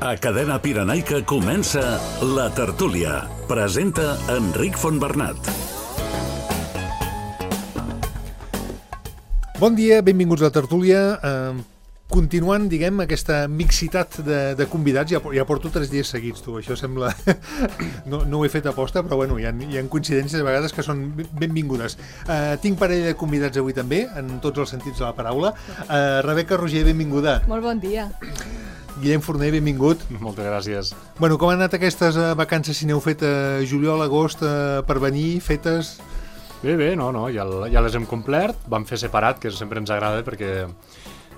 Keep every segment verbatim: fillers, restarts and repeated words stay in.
A Cadena Pirenaica comença La Tertúlia. Presenta Enric Fontbernat. Bon dia, benvinguts a La Tertúlia. Eh, continuant, diguem, aquesta mixitat de, de convidats, ja, ja porto tres dies seguits, tu, això sembla... no, no ho he fet aposta, però bueno, hi ha, hi ha coincidències a vegades que són benvingudes. Eh, tinc parell de convidats avui també, en tots els sentits de la paraula. Eh, Rebeca Roger, benvinguda. Molt bon dia. Guillem Forner, benvingut. Moltes gràcies. Bueno, com han anat aquestes uh, vacances, si n'heu fet a uh, juliol, agost, uh, per venir, fetes? Bé, bé, no, no, ja, ja les hem complert, vam fer separat, que sempre ens agrada, perquè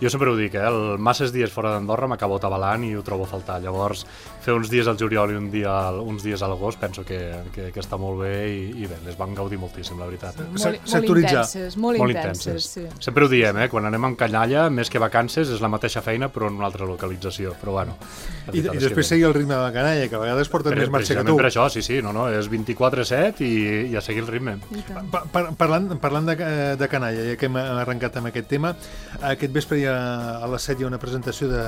jo sempre ho dic, eh, el masses dies fora d'Andorra m'acabo atabalant i ho trobo a faltar. Llavors, fer uns dies al juliol i un dia, uns dies a l'agost penso que, que, que està molt bé i, i bé, les van gaudir moltíssim, la veritat. Molt, molt intenses, molt, molt intenses, sí. Sempre ho diem, eh, quan anem amb canalla, més que vacances, és la mateixa feina però en una altra localització, però bueno. I, i després seguir el ritme de la canalla, que a vegades porten més marxa que tu. Per això, sí, sí, no, no, és vint-i-quatre set i, i a seguir el ritme. Pa, par, parlant parlant de, de canalla, ja que hem arrencat amb aquest tema, aquest vespre hi ha, a les set hi ha una presentació de,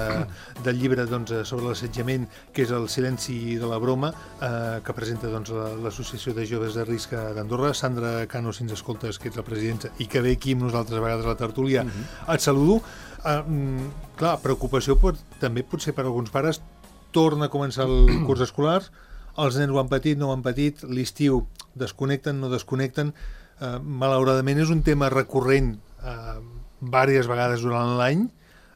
del llibre doncs, sobre l'assetjament, que és El silenci de la broma, eh, que presenta doncs, l'Associació de Joves de Risc d'Andorra. Sandra Cano, si ens escoltes, que ets la presidenta i que ve aquí amb nosaltres a vegades a la tertúlia, uh-huh. Et saludo. Eh, clar, preocupació pot, també pot ser per alguns pares. Torna a començar el curs escolar, els nens ho han patit, no ho han patit, l'estiu desconnecten, no desconnecten. Eh, malauradament és un tema recurrent eh, diverses vegades durant l'any.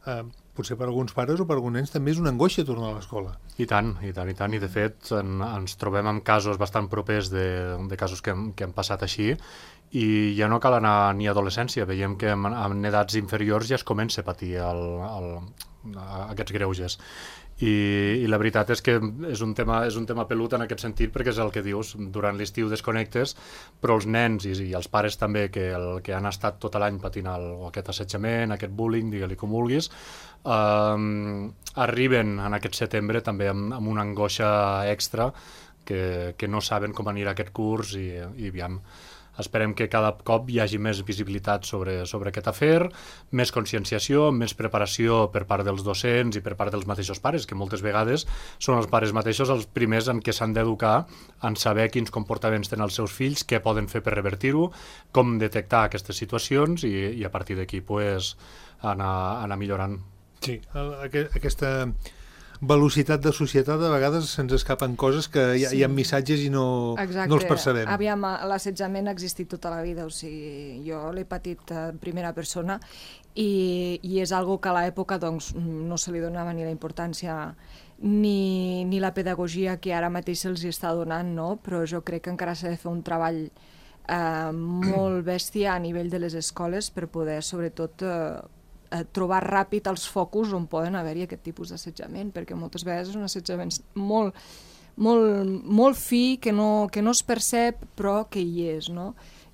Eh, potser per alguns pares o per alguns nens també és una angoixa tornar a l'escola. I tant, i tant, i tant, i de fet en, ens trobem amb casos bastant propers de, de casos que hem, que hem passat així i ja no cal anar ni a adolescència, veiem que en, en edats inferiors ja es comença a patir el, el, aquests greuges. I, i la veritat és que és un tema és un tema pelut en aquest sentit, perquè és el que dius, durant l'estiu desconnectes, però els nens i, i els pares també que, el, que han estat tot l'any patint el, aquest assetjament, aquest bullying, digue-li com vulguis, eh, arriben en aquest setembre també amb, amb una angoixa extra que, que no saben com anirà aquest curs i, i aviam, esperem que cada cop hi hagi més visibilitat sobre, sobre aquest afer, més conscienciació, més preparació per part dels docents i per part dels mateixos pares, que moltes vegades són els pares mateixos els primers en què s'han d'educar en saber quins comportaments tenen els seus fills, què poden fer per revertir-ho, com detectar aquestes situacions i, i a partir d'aquí pues, anar, anar millorant. Sí, aquesta velocitat de societat, a vegades se'ns escapen coses que hi ha, sí. hi ha missatges i no, no els percebem. Aviam, l'assetjament ha existit tota la vida, o sigui, jo l'he patit en primera persona i, i és algo que a l'època doncs, no se li donava ni la importància ni, ni la pedagogia que ara mateix se'ls està donant, no? Però jo crec que encara s'ha de fer un treball eh, molt bèstia a nivell de les escoles per poder, sobretot, eh, trobar ràpid els focus on poden haver-hi aquest tipus d'assetjament, perquè moltes vegades és un assetjament molt, molt, molt fi, que no, que no es percep, però que hi és, no?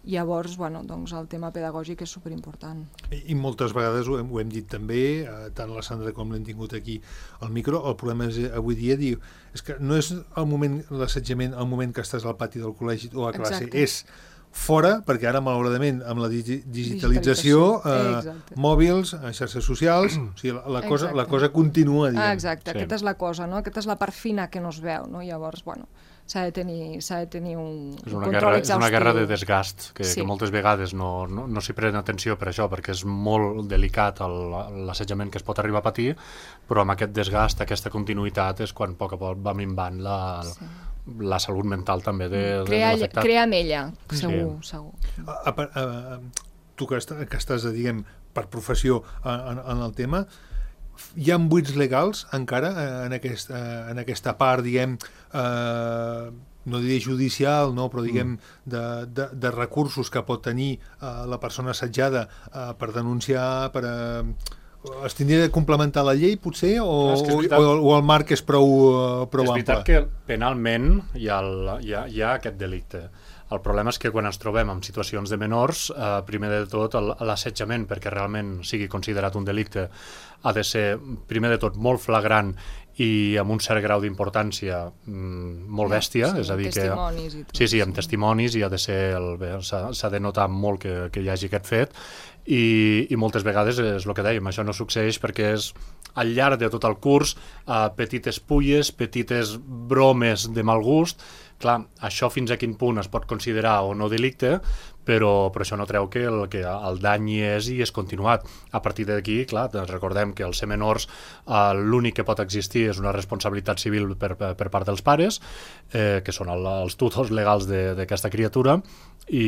Llavors, bueno, doncs el tema pedagògic és superimportant. I, i moltes vegades ho hem, ho hem dit també, eh, tant la Sandra com l'hem tingut aquí al micro, el problema és avui dia, diu, és que no és el moment, l'assetjament, el moment que estàs al pati del col·legi o a classe, Exacte. És fora, perquè ara, malauradament, amb la digi digitalització, eh, mòbils, xarxes socials, o sigui, la, la, cosa, la cosa continua, diguem. Ah, exacte, sí. Aquesta és la cosa, no? Aquesta és la part fina que no es veu, no? Llavors, bueno, s'ha de tenir, s'ha de tenir un, és una un guerra, control exhaustiu. És una guerra de desgast, que, sí. que moltes vegades no, no, no s'hi pren atenció per això, perquè és molt delicat l'assetjament que es pot arribar a patir, però amb aquest desgast, aquesta continuïtat, és quan a poc a poc va minvant la... Sí. la salut mental també de, crea, de l'afectat. Crea amb ella, segur, sí. segur. A, a, a, tu que, està, que estàs, diguem, per professió en, en el tema, hi ha buits legals encara en, aquest, en aquesta part, diguem, eh, no diré judicial, no, però diguem de, de, de recursos que pot tenir eh, la persona assetjada eh, per denunciar, per... Eh, es tindria de complementar la llei, potser, o, Clar, veritat, o, o el marc és prou, uh, prou ample? És veritat que penalment hi ha, el, hi, ha, hi ha aquest delicte. El problema és que quan ens trobem en situacions de menors, eh, primer de tot l'assetjament, perquè realment sigui considerat un delicte, ha de ser, primer de tot, molt flagrant i amb un cert grau d'importància mm, molt bèstia, sí, és a dir que... testimonis i tot. Sí, sí, amb testimonis i ha de ser el, s'ha de notar molt que, que hi hagi aquest fet i, i moltes vegades és el que dèiem, això no succeeix perquè és al llarg de tot el curs uh, petites pulles, petites bromes de mal gust. Clar, això fins a quin punt es pot considerar o no delicte, però, però això no treu que el, que el dany hi és i és continuat. A partir d'aquí, clar, recordem que els ser menors eh, l'únic que pot existir és una responsabilitat civil per, per, per part dels pares, eh, que són el, els tutors legals d'aquesta criatura, i,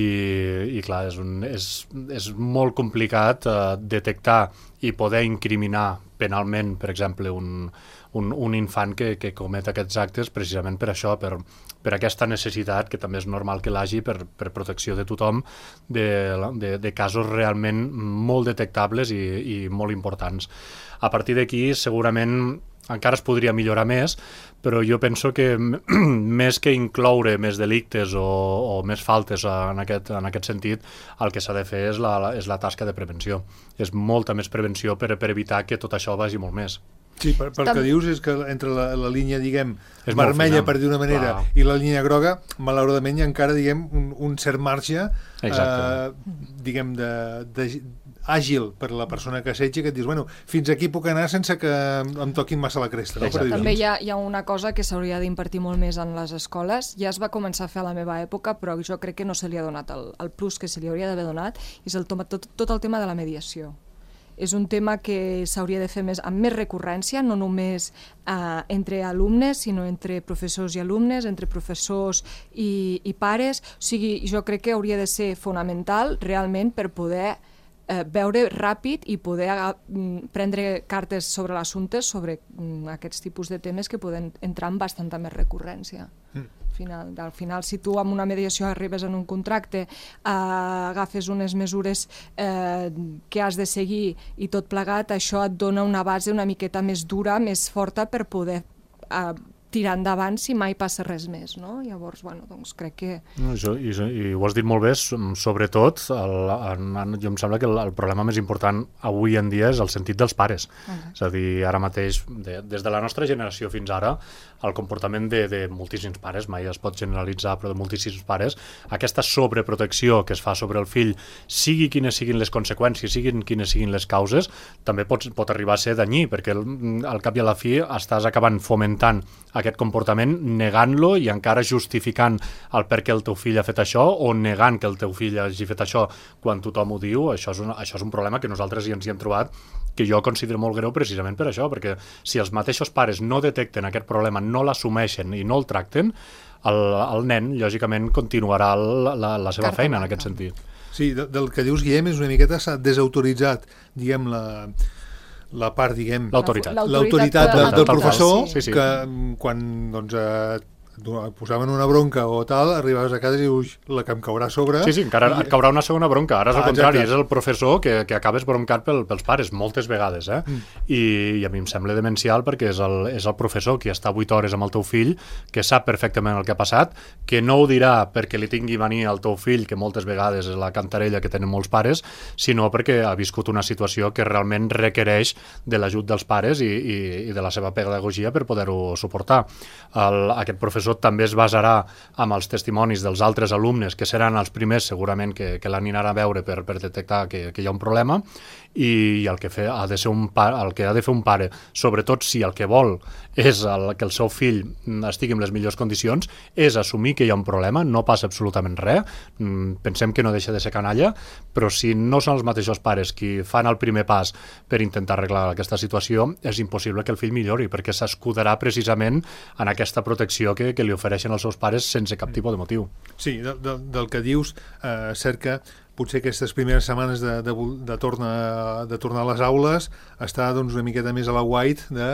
i clar, és, un, és, és molt complicat eh, detectar i poder incriminar penalment, per exemple, un, un, un infant que, que comet aquests actes precisament per això, per, per aquesta necessitat, que també és normal que l'hagi per, per protecció de tothom, de, de, de casos realment molt detectables i, i molt importants. A partir d'aquí, segurament, encara es podria millorar més, però jo penso que més que incloure més delictes o, o més faltes en aquest, en aquest sentit, el que s'ha de fer és la, és la tasca de prevenció. És molta més prevenció per, per evitar que tot això vagi molt més. Sí, per, pel que dius és que entre la, la línia, diguem, és vermella, per dir una manera, clar, i la línia groga, malauradament hi ha encara, diguem, un, un cert marge, eh, diguem, de, de, àgil per a la persona que assetja, que et dius, bueno, fins aquí puc anar sense que em toquin massa la cresta. No? També hi ha, hi ha una cosa que s'hauria d'impartir molt més en les escoles. Ja es va començar a fer a la meva època, però jo crec que no se li ha donat el, el plus que se li hauria d'haver donat, és el, tot, tot el tema de la mediació. És un tema que s'hauria de fer més, amb més recurrència, no només eh, entre alumnes, sinó entre professors i alumnes, entre professors i, i pares. O sigui, jo crec que hauria de ser fonamental realment per poder eh, veure ràpid i poder mm, prendre cartes sobre l'assumpte sobre mm, aquests tipus de temes que poden entrar amb bastanta més recurrència. Mm. Final, al final, si tu amb una mediació arribes en un contracte, eh, agafes unes mesures eh, que has de seguir i tot plegat, això et dona una base una miqueta més dura, més forta per poder eh, tirar endavant si mai passa res més, no? Llavors, bueno, doncs crec que... No, això, i, i ho has dit molt bé, sobretot, el, en, jo em sembla que el, el problema més important avui en dia és el sentit dels pares. Uh-huh. És a dir, ara mateix, de, des de la nostra generació fins ara, el comportament de, de moltíssims pares, mai es pot generalitzar, però de moltíssims pares, aquesta sobreprotecció que es fa sobre el fill, sigui quines siguin les conseqüències, siguin quines siguin les causes, també pot, pot arribar a ser danyí, perquè al, al cap i a la fi estàs acabant fomentant aquest comportament, negant-lo i encara justificant el per què el teu fill ha fet això o negant que el teu fill hagi fet això quan tothom ho diu. Això és un, això és un problema que nosaltres ja ens hi hem trobat, que jo considero molt greu precisament per això, perquè si els mateixos pares no detecten aquest problema, no l'assumeixen i no el tracten, el, el nen, lògicament, continuarà la, la, la seva Carta feina en aquest sentit. Sí, de, del que dius, Guillem, és una miqueta s'ha desautoritzat, diguem, la... la part, diguem... L'autoritat. L'autoritat de, del professor, sí, sí, sí. Que quan doncs, eh, posaven una bronca o tal, arribaves a casa i dius, la que em caurà a sobre... Sí, sí, encara i... et caurà una segona bronca. Ara és ah, el contrari, exacte. És el professor que, que acabes broncat pel, pels pares, moltes vegades, eh? Mm. I, I a mi em sembla demencial perquè és el, és el professor que està vuit hores amb el teu fill, que sap perfectament el que ha passat, que no ho dirà perquè li tingui mania al teu fill, que moltes vegades és la cantarella que tenen molts pares, sinó perquè ha viscut una situació que realment requereix de l'ajut dels pares i, i, i de la seva pedagogia per poder-ho suportar. El, aquest professor també es basarà amb els testimonis dels altres alumnes, que seran els primers segurament que, que l'aniran a veure per, per detectar que, que hi ha un problema, i el que, fe, ha de ser un pare, el que ha de fer un pare, sobretot si el que vol és el, que el seu fill estigui en les millors condicions, és assumir que hi ha un problema, no passa absolutament res, pensem que no deixa de ser canalla, però si no són els mateixos pares qui fan el primer pas per intentar arreglar aquesta situació, és impossible que el fill millori, perquè s'escudarà precisament en aquesta protecció que, que li ofereixen els seus pares sense cap tipus de motiu. Sí, de, de, del que dius, eh, cert que potser aquestes primeres setmanes de, de, de, tornar, de tornar a les aules està doncs, una miqueta més a la white de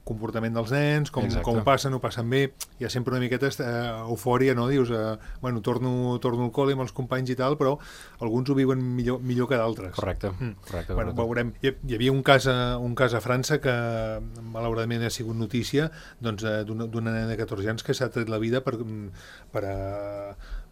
comportament dels nens, com, com ho passen, ho passen bé, hi ha sempre una miqueta eh, eufòria, no? Dius, eh, bueno, torno, torno al col·le amb els companys i tal, però alguns ho viuen millor, millor que d'altres. Correcte. Mm. correcte, bueno, correcte. Veurem. Hi, hi havia un cas, a, un cas a França que malauradament ha sigut notícia doncs, d'una nena de catorze anys que s'ha tret la vida per, per a,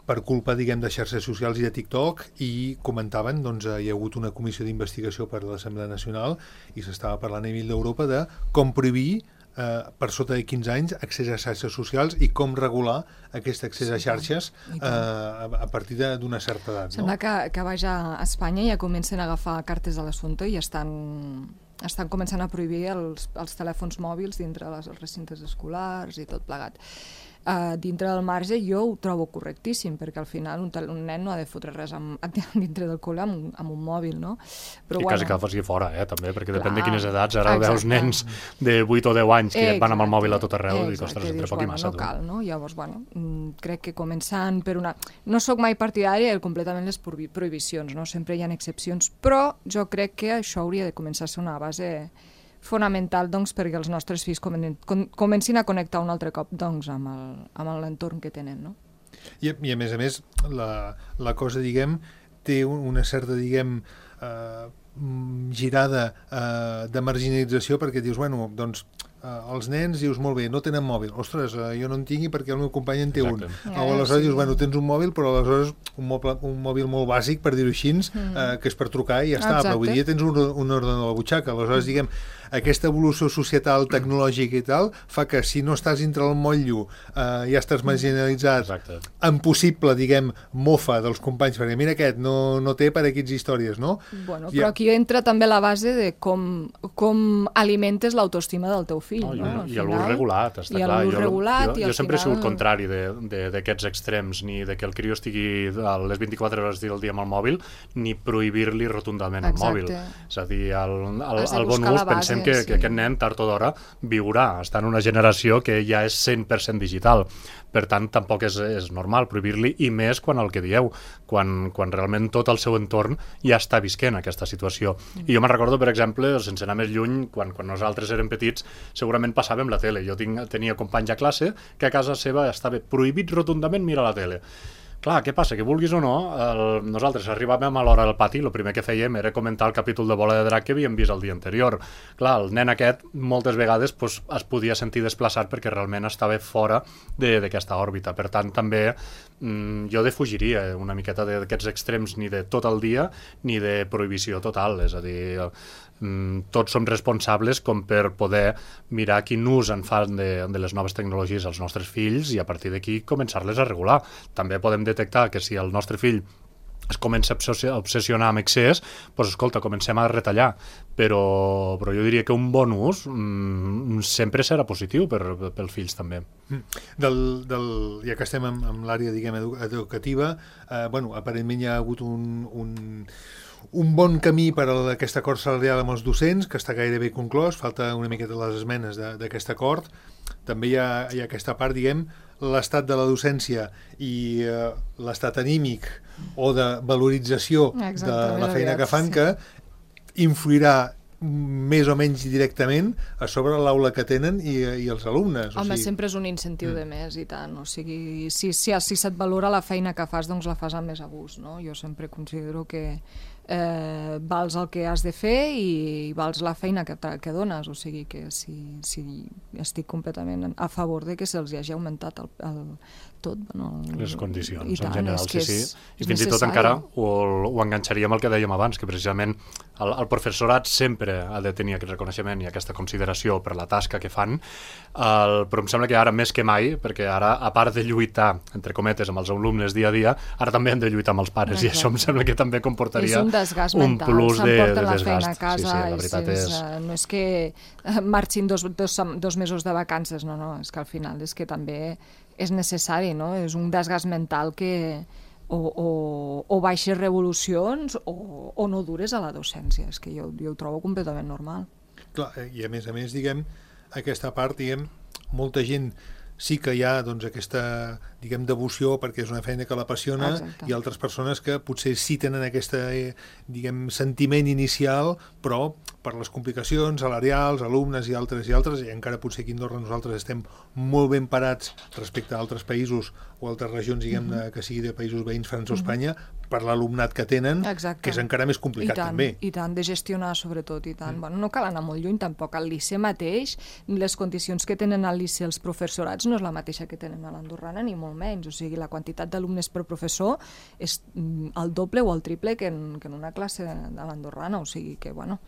per culpa, diguem, de xarxes socials i de TikTok, i comentaven, doncs, hi ha hagut una comissió d'investigació per l'Assemblea Nacional i s'estava parlant a nivell d'Europa de com prohibir eh, per sota de quinze anys accés a xarxes socials i com regular aquest accés a xarxes eh, a, a partir d'una certa edat. Sembla no? que, que vaig a Espanya i ja comencen a agafar cartes de l'assumpte i estan, estan començant a prohibir els, els telèfons mòbils dintre les, els recintes escolars i tot plegat. Uh, dintre del marge jo ho trobo correctíssim, perquè al final un, un nen no ha de fotre res amb, dintre del col·le amb, amb un mòbil, no? Però, I bueno, quasi que el faci fora, eh, també, perquè clar, depèn de quines edats. Ara exacte. veus nens de vuit o deu anys que exacte, van amb el mòbil a tot arreu i dius, exacte, ostres, entre dius, poc i bueno, massa. no cal, no? Llavors, bueno, crec que començant per una... No sóc mai partidària de completament les prohibicions, no? Sempre hi ha excepcions, però jo crec que això hauria de començar a ser una base fonamental, doncs, perquè els nostres fills comen com comencin a connectar un altre cop, doncs, amb el, amb l'entorn que tenen, no? I, I a més a més, la, la cosa, diguem, té una certa, diguem, eh, girada eh, de marginalització, perquè dius, bueno, doncs, eh, els nens, dius, molt bé, no tenen mòbil. Ostres, eh, jo no en tingui perquè el meu company en té Exacte. un. O aleshores dius, bueno, tens un mòbil, però aleshores un mòbil, un mòbil molt bàsic, per dir-ho així, eh, que és per trucar i ja està. Exacte. Però avui dia tens un, un ordinador a la butxaca. Aleshores, diguem, aquesta evolució societal, tecnològica i tal, fa que si no estàs dintre el motllo eh, ja estàs marginalitzat. Exacte. En possible, diguem, mofa dels companys, perquè mira aquest, no, no té per aquests històries, no? Bueno, I, però aquí entra també la base de com, com alimentes l'autoestima del teu fill, No, no? I, i l'ús regulat, està I clar. l'ús Jo, regulat, jo, i jo al sempre he sigut final... contrari d'aquests extrems, ni de que el crió estigui a les vint-i-quatre hores del dia amb el mòbil, ni prohibir-li rotundament el Exacte. mòbil. És a dir, el, el, Has de el bon buscar ús, la base, pensem que, sí. que aquest nen, tard o d'hora, viurà. Està en una generació que ja és cent per cent digital. Per tant, tampoc és, és normal prohibir-li, i més quan el que dieu, quan, quan realment tot el seu entorn ja està visquent aquesta situació. Mm. I jo me'n recordo, per exemple, sense anar més lluny, quan, quan nosaltres érem petits, segurament passàvem la tele. Jo tinc, tenia companys a classe que a casa seva estava prohibit rotundament mirar la tele. Clar, què passa? Que vulguis o no, el, nosaltres arribàvem a l'hora al pati, el primer que fèiem era comentar el capítol de Bola de Drac que havíem vist el dia anterior. Clar, el nen aquest moltes vegades pues, es podia sentir desplaçat perquè realment estava fora d'aquesta òrbita. Per tant, també mm, jo defugiria una miqueta d'aquests extrems ni de tot el dia ni de prohibició total. És a dir, mm, tots som responsables com per poder mirar quin ús en fan de, de les noves tecnologies als nostres fills i a partir d'aquí començar-les a regular. També podem detectar que si el nostre fill es comença a obsessionar amb excés, doncs escolta, comencem a retallar, però, però jo diria que un bon ús mm, sempre serà positiu per, pels fills també. Del, del, ja que estem amb, amb l'àrea, diguem, edu educativa, eh, bueno, aparentment hi ha hagut un, un, un bon camí per a aquest acord salarial amb els docents, que està gairebé conclòs, falta una miqueta les esmenes d'aquest acord. També hi ha, hi ha aquesta part, diguem, l'estat de la docència i eh, l'estat anímic o de valorització de la feina que fan, que influirà més o menys directament a sobre l'aula que tenen i, i els alumnes. Home, o sigui... sempre és un incentiu de més i tant, o sigui, si, si, si se't valora la feina que fas, doncs la fas amb més a gust, no? Jo sempre considero que eh, vals el que has de fer i vals la feina que, que dones, o sigui que si, si estic completament a favor de que se'ls hagi augmentat el, el, tot, bueno, les condicions i tant, en general, sí, sí. És, I fins i tot encara ho, ho enganxaríem al que dèiem abans, que precisament el, el professorat sempre ha de tenir aquest reconeixement i aquesta consideració per la tasca que fan, el, però em sembla que ara més que mai, perquè ara, a part de lluitar, entre cometes, amb els alumnes dia a dia, ara també han de lluitar amb els pares. Exacte. I això em sembla que també comportaria un desgast un mental, plus de, de la desgast. feina a casa, sí, sí, la veritat és... és, no és que marxin dos, dos, dos mesos de vacances, no, no, és que al final és que també és necessari, no? És un desgast mental que o, o, o baixes revolucions o, o no dures a la docència, és que jo, jo ho trobo completament normal. Clar, i a més a més, diguem, aquesta part, diguem, molta gent sí que hi ha doncs, aquesta, diguem, devoció perquè és una feina que l'apassiona. Exacte. I altres persones que potser sí tenen aquest, diguem, sentiment inicial, però per les complicacions salarials, alumnes i altres i altres, i encara potser aquí a Andorra nosaltres estem molt ben parats respecte a altres països o altres regions, diguem, mm-hmm. de, que sigui de països veïns, França o Espanya, mm-hmm. per l'alumnat que tenen, exacte. Que és encara més complicat. I tant, també. I tant, de gestionar sobretot, i tant. Mm. Bueno, no cal anar molt lluny tampoc. Al liceu mateix, les condicions que tenen al liceu els professorats no és la mateixa que tenen a l'andorrana, ni molt menys. O sigui, la quantitat d'alumnes per professor és el doble o el triple que en, que en una classe de l'andorrana. O sigui que, bueno,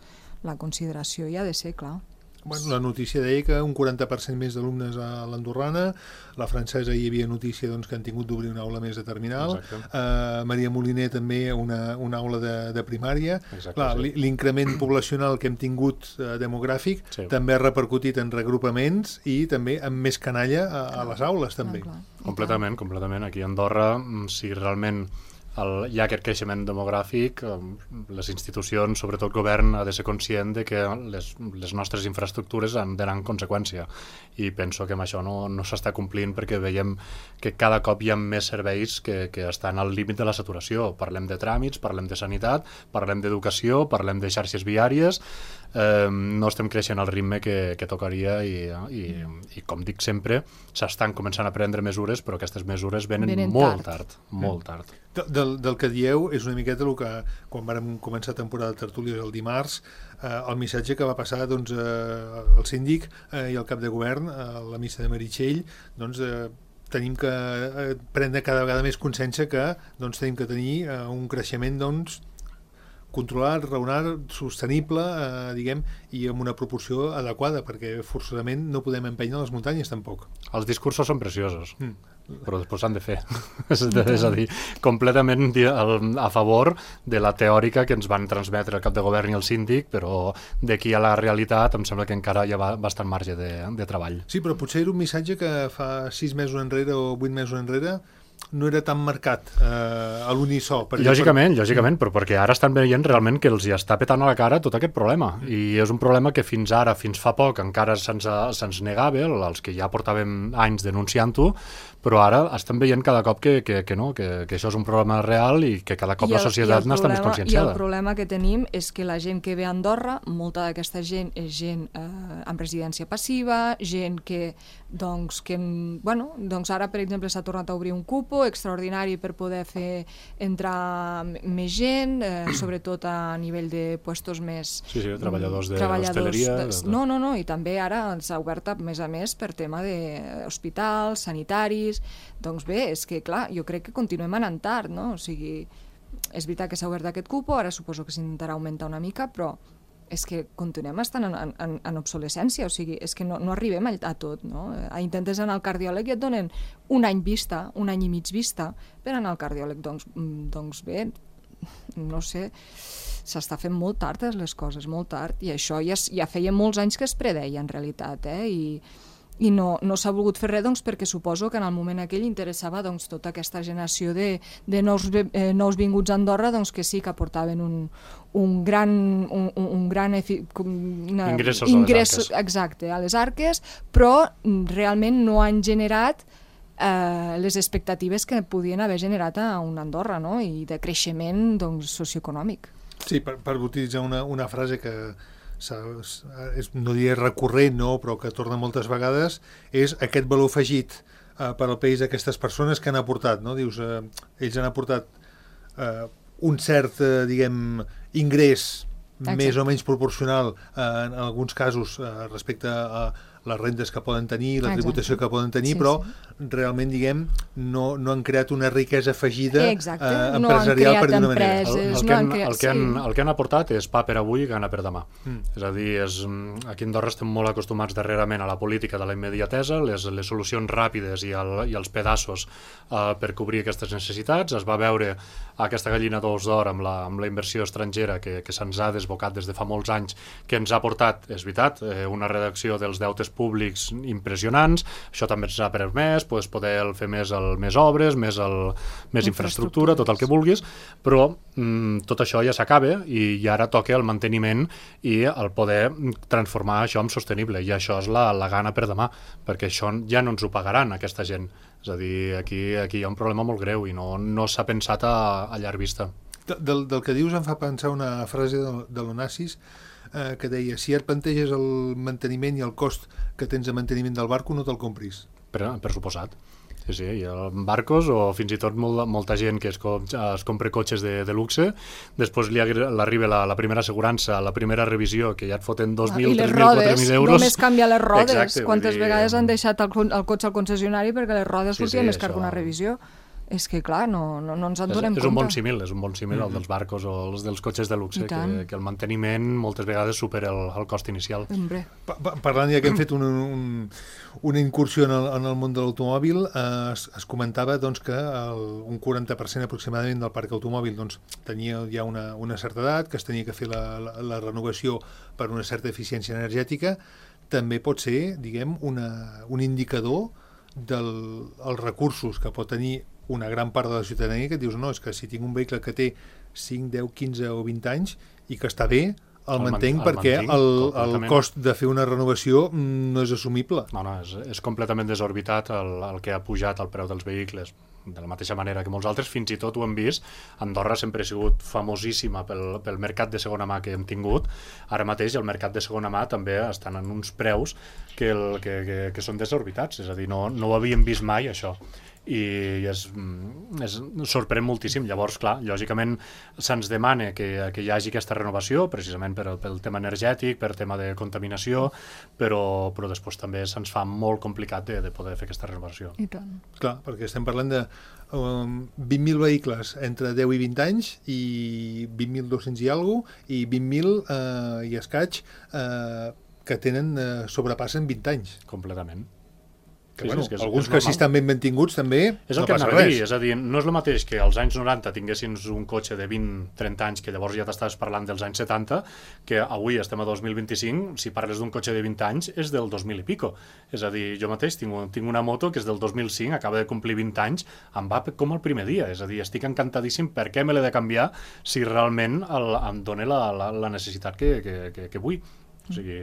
la consideració hi ha de ser, clar. Bueno, la notícia deia que un quaranta per cent més d'alumnes a l'andorrana, la francesa hi havia notícia doncs, que han tingut d'obrir una aula més de terminal, uh, Maria Moliner també una, una aula de, de primària. Exacte, clar, sí. L'increment poblacional que hem tingut uh, demogràfic sí. també ha repercutit en regrupaments i també amb més canalla a, a les aules també. Clar, clar. Completament, completament. Aquí a Andorra, si realment el, hi ha aquest creixement demogràfic, les institucions, sobretot el govern, ha de ser conscient de que les, les nostres infraestructures han d'anar en conseqüència. I penso que amb això no, no s'està complint perquè veiem que cada cop hi ha més serveis que, que estan al límit de la saturació. Parlem de tràmits, parlem de sanitat, parlem d'educació, parlem de xarxes viàries, eh, no estem creixent al ritme que, que tocaria i, i, i, com dic sempre, s'estan començant a prendre mesures, però aquestes mesures venen, venen molt tard, tard molt tard. Del, del que dieu és una miqueta el que, quan vàrem començar temporada de tertúlies el dimarts, eh, el missatge que va passar doncs, eh, el síndic eh, i el cap de govern a la missa de Meritxell, doncs, eh, tenim que eh, prendre cada vegada més consciència que doncs, tenim que tenir eh, un creixement doncs, controlat, raonat, sostenible, eh, diguem, i amb una proporció adequada, perquè forçosament no podem empènyer les muntanyes tampoc. Els discursos són preciosos. Mm. Però després s'han de fer. és, és a dir, completament a favor de la teòrica que ens van transmetre el cap de govern i el síndic, però d'aquí a la realitat em sembla que encara hi ha bastant marge de, de treball. Sí, però potser era un missatge que fa sis mesos enrere o vuit mesos enrere no era tan marcat eh, a l'unisó. Lògicament, per... lògicament, però perquè ara estan veient realment que els hi està petant a la cara tot aquest problema. Mm. I és un problema que fins ara, fins fa poc, encara se'ns se'ns negava, els que ja portàvem anys denunciant-ho, però ara estan veient cada cop que, que, que no, que, que això és un problema real i que cada cop el, la societat n'està més conscienciada. I el problema que tenim és que la gent que ve a Andorra, molta d'aquesta gent és gent eh, amb residència passiva, gent que, doncs, que bueno, doncs ara, per exemple, s'ha tornat a obrir un cupo extraordinari per poder fer entrar més gent, eh, sobretot a nivell de puestos més... Sí, sí, treballadors de l'hostaleria... De... No, no, no, i també ara s'ha obert a més a més per tema d'hospitals, sanitaris. Doncs bé, és que clar, jo crec que continuem anant tard, no? O sigui, és veritat que s'ha obert aquest cupo, ara suposo que s'intentarà augmentar una mica, però és que continuem estant en, en, en obsolescència, o sigui, és que no, no arribem a, a tot, no? Intentes anar al cardiòleg i et donen un any vista, un any i mig vista, per anar al cardiòleg, doncs, doncs bé, no sé, s'està fent molt tard les coses, molt tard, i això ja, ja feia molts anys que es predeia en realitat, eh? I i no, no s'ha volgut fer res doncs, perquè suposo que en el moment aquell interessava doncs, tota aquesta generació de, de nous, eh, nous vinguts a Andorra doncs, que sí que aportaven un, un gran, un, un gran efi, una, ingressos, ingressos a les arques. Exacte, a les arques, però realment no han generat eh, les expectatives que podien haver generat a una Andorra, no? I de creixement doncs, socioeconòmic. Sí, per, per utilitzar una, una frase que és, no diré recurrent, no, però que torna moltes vegades, és aquest valor afegit eh, per al país d'aquestes persones que han aportat, no? Dius, eh, ells han aportat eh, un cert, eh, diguem, ingrés Exacte. Més o menys proporcional eh, en alguns casos eh, respecte a les rendes que poden tenir, la tributació Exacte. Que poden tenir, sí, però sí. realment, diguem, no, no han creat una riquesa afegida eh, empresarial, no per dir una manera. El, el, que han, el, que han, el que han aportat és pa per avui i gana per demà. Mm. És a dir, és, aquí a Andorra estem molt acostumats darrerament a la política de la immediatesa, les, les solucions ràpides i, el, i els pedaços eh, per cobrir aquestes necessitats. Es va veure aquesta gallina d'ous d'or amb, la, amb la inversió estrangera que, que se'ns ha desbocat des de fa molts anys, que ens ha portat, és veritat, eh, una redacció dels deutes públics impressionants. Això també ens ha permès pues, poder fer més, el, més obres, més, el, més infraestructura, tot el que vulguis, però mm, tot això ja s'acaba i, i ara toca el manteniment i el poder transformar això en sostenible, i això és la, la gana per demà, perquè això ja no ens ho pagaran aquesta gent. És a dir, aquí, aquí hi ha un problema molt greu i no, no s'ha pensat a, a llarg vista. Del, del que dius em fa pensar una frase de, de l'Onassis eh, que deia, si et planteges el manteniment i el cost que tens de manteniment del barco, no te'l compris. Per, per suposat. Sí, sí, hi ha barcos o fins i tot molt, molta gent que es, es compra cotxes de, de luxe, després li arriba la, la primera assegurança, la primera revisió, que ja et foten dos mil, tres mil, quatre mil euros. Només canvia les rodes. Exacte, quantes dir... vegades han deixat el, el cotxe al concessionari perquè les rodes sortien sí, sí, més car que una revisió. És que, clar, no, no, no ens en donem és, compte. És un bon símil, és un bon símil mm-hmm. el dels barcos o els dels cotxes de luxe, que, que el manteniment moltes vegades supera el, el cost inicial. Pa pa parlant ja que hem fet un, un, una incursió en el, en el món de l'automòbil, eh, es, es comentava doncs, que el, un quaranta per cent aproximadament del parc automòbil doncs, tenia ja una, una certa edat, que es tenia que fer la, la, la renovació per una certa eficiència energètica. També pot ser, diguem, una, un indicador dels recursos que pot tenir una gran part de la ciutadania, que et dius, no, és que si tinc un vehicle que té cinc, deu, quinze o vint anys i que està bé, el, el mantenc el perquè mantinc, el, el cost de fer una renovació no és assumible. No, no, és, és completament desorbitat el, el que ha pujat el preu dels vehicles. De la mateixa manera que molts altres, fins i tot ho hem vist, Andorra sempre ha sigut famosíssima pel, pel mercat de segona mà que hem tingut. Ara mateix el mercat de segona mà també estan en uns preus que, el, que, que, que són desorbitats, és a dir, no, no ho havíem vist mai això. I és, és, sorprèn moltíssim. Llavors, clar, lògicament se'ns demana que, que hi hagi aquesta renovació, precisament per, pel tema energètic, per tema de contaminació, però, però després també se'ns fa molt complicat de, de poder fer aquesta renovació. I tant. Clar, perquè estem parlant de um, vint mil vehicles entre deu i vint anys i vint mil dos-cents i alguna cosa, i vint mil uh, i escaig uh, que tenen uh, sobrepassen vint anys. Completament. Que, sí, bueno, sí, que és, alguns és que si estan ben mantinguts també és el no que passa res. res. És a dir, no és el mateix que als anys noranta tinguessin un cotxe de vint trenta anys, que llavors ja t'estaves parlant dels anys setanta, que avui estem a dos mil vint-i-cinc, si parles d'un cotxe de vint anys és del dos mil i pico. És a dir, jo mateix tinc, tinc una moto que és del dos mil cinc, acaba de complir vint anys, em va com el primer dia. És a dir, estic encantadíssim, per què me l'he de canviar si realment el, em dona la, la, la necessitat que, que, que, que vull. O sigui,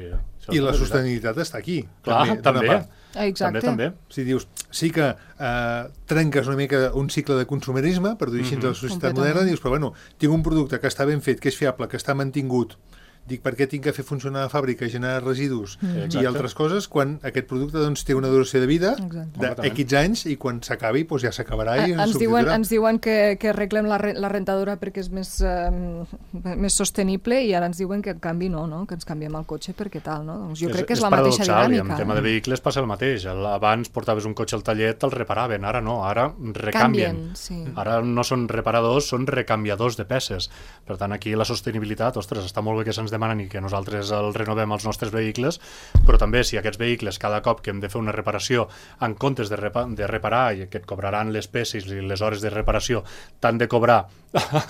i la sostenibilitat està aquí. Clar, també. també. Exacte. També, també. Si dius, sí que eh, trenques una mica un cicle de consumerisme, per dir així, mm-hmm. de la societat moderna, dius, però bueno, tinc un producte que està ben fet, que és fiable, que està mantingut, dic, per què tinc que fer funcionar la fàbrica, generar residus mm. i altres coses, quan aquest producte doncs, té una duració de vida d'X anys i quan s'acabi doncs, ja s'acabarà i ens diuen, ens diuen que, que arreglem la, re, la rentadora perquè és més, um, més sostenible i ara ens diuen que en canvi no, no? Que ens canviem el cotxe perquè tal. No? Doncs jo és, crec que és, és la mateixa dinàmica. En tema de vehicles passa el mateix. Abans portaves un cotxe al taller, te'l reparaven, ara no, ara recanvien. Canvien, sí. Ara no són reparadors, són recanviadors de peces. Per tant, aquí la sostenibilitat, ostres, està molt bé que se'ns demanen i que nosaltres el renovem als nostres vehicles, però també si aquests vehicles cada cop que hem de fer una reparació en comptes de, repa de reparar i que et cobraran les peces i les hores de reparació t'han de cobrar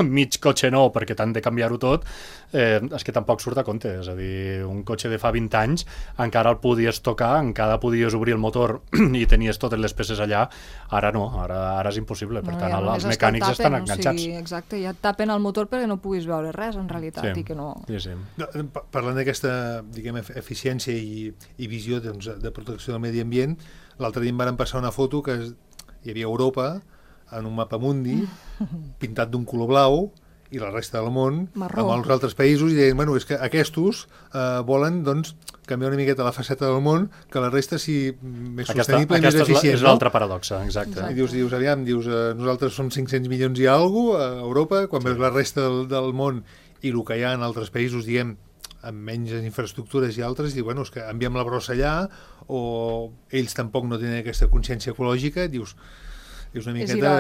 mig cotxe nou perquè t'han de canviar-ho tot, eh, és que tampoc surt a compte. És a dir, un cotxe de fa vint anys encara el podies tocar, encara podies obrir el motor i tenies totes les peces allà, ara no, ara, ara és impossible. Per no, tant, ja els mecànics tapen, estan enganxats. O sigui, exacte, ja et tapen el motor perquè no puguis veure res, en realitat, sí. i que no... Sí, sí. No, parlant d'aquesta, diguem, eficiència i, i visió doncs, de protecció del medi ambient, l'altre dia em van passar una foto que hi havia Europa en un mapa mundi pintat d'un color blau i la resta del món marró. Amb els altres països i deien, bueno, és que aquests eh, volen doncs, canviar una miqueta la faceta del món que la resta sigui més aquesta, sostenible i més eficient. És l'altra paradoxa, exacte. exacte. I dius, dius aviam, dius, eh, nosaltres som cinc-cents milions i alguna cosa a Europa, quan sí. veus la resta del, del món i el que hi ha en altres països, diem, amb menys infraestructures i altres, i bueno, és que enviem la brossa allà, o ells tampoc no tenen aquesta consciència ecològica, dius, és una miqueta...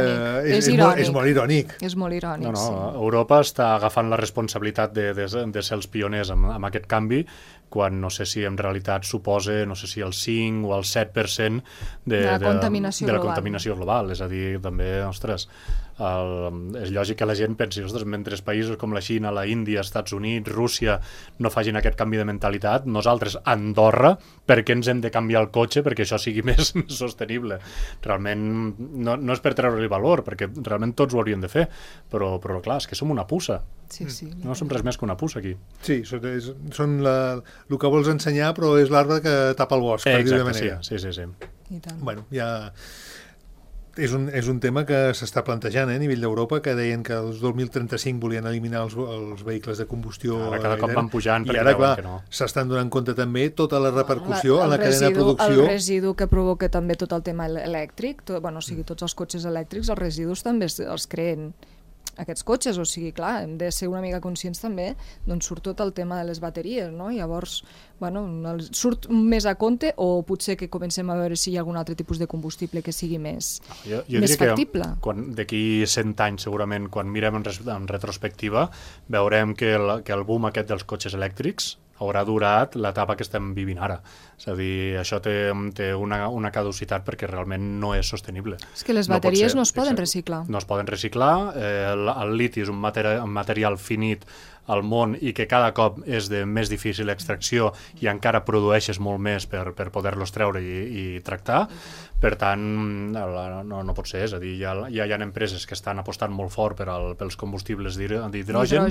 És, és, és, molt, és molt irònic. És molt irònic, no, no, sí. Europa està agafant la responsabilitat de, de, de ser els pioners amb, amb aquest canvi, quan no sé si en realitat suposa, no sé si el cinc o el set per cent de, de, la, de, contaminació de la global. contaminació global. És a dir, també, ostres, el, és lògic que la gent pensi, ostres, mentre països com la Xina, la Índia, Estats Units, Rússia no facin aquest canvi de mentalitat, nosaltres, Andorra, per què ens hem de canviar el cotxe perquè això sigui més sostenible? Realment, no, no és per treure-li valor, perquè realment tots ho hauríem de fer, però, però clar, és que som una puça. Sí, sí. No som res més que una puça aquí. Sí, són, és, són la, el que vols ensenyar, però és l'arbre que tapa el bosc, eh, per dir-ho de manera. manera. Sí, sí, sí. sí. I tant. Bueno, ja... És un, és un tema que s'està plantejant eh, a nivell d'Europa, que deien que el dos mil trenta-cinc volien eliminar els, els vehicles de combustió. Ara cada cop van pujant i ara, clar, no. s'estan donant compte també tota la repercussió la, en la residu, cadena de producció. El residu que provoca també tot el tema elèctric, tot, bueno, o sigui, tots els cotxes elèctrics, els residus també els, els creen. aquests cotxes, o sigui, clar, hem de ser una mica conscients també d'on surt tot el tema de les bateries, no? Llavors, bueno, surt més a compte o potser que comencem a veure si hi ha algun altre tipus de combustible que sigui més, jo, jo més factible. D'aquí cent anys, segurament, quan mirem en, res, en retrospectiva, veurem que el, que el boom aquest dels cotxes elèctrics haurà durat l'etapa que estem vivint ara. És a dir, això té, té una, una caducitat perquè realment no és sostenible. És que les bateries no, no es poden exacte, reciclar. No es poden reciclar, eh, el, el liti és un, materi un material finit al món i que cada cop és de més difícil extracció i encara produeixes molt més per, per poder-los treure i, i tractar. Per tant, no, no pot ser, és a dir, ja, ja hi ha empreses que estan apostant molt fort per al, pels combustibles d'hidrogen.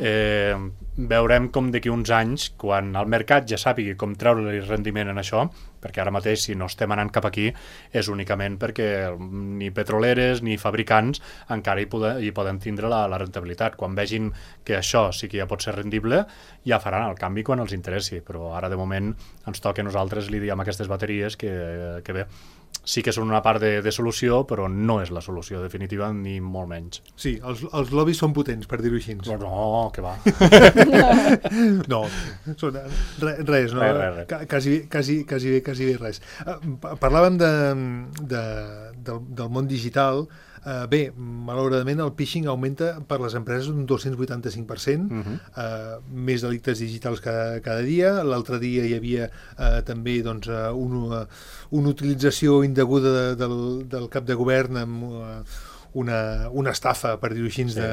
Eh, veurem com d'aquí uns anys, quan el mercat ja sàpigui com treure-li rendiment en això, perquè ara mateix, si no estem anant cap aquí, és únicament perquè ni petroleres ni fabricants encara hi, poden, hi poden tindre la, la rentabilitat. Quan vegin que això sí que ja pot ser rendible, ja faran el canvi quan els interessi, però ara de moment ens toca a nosaltres lidiar amb aquestes bateries que, que bé, sí que són una part de, de solució, però no és la solució definitiva, ni molt menys. Sí, els, els lobbies són potents, per dir-ho així. No, no, que va. no, són, re, res, no? Res, res, res. Quasi, quasi, quasi bé, quasi bé res. Parlàvem de, de, del, del món digital. Uh, bé, malauradament el phishing augmenta per les empreses un dos-cents vuitanta-cinc per cent, uh-huh. uh, més delictes digitals cada, cada dia. L'altre dia hi havia uh, també doncs, uh, una, una utilització indeguda de, del, del cap de govern amb uh, una, una estafa, per dir-ho així, sí.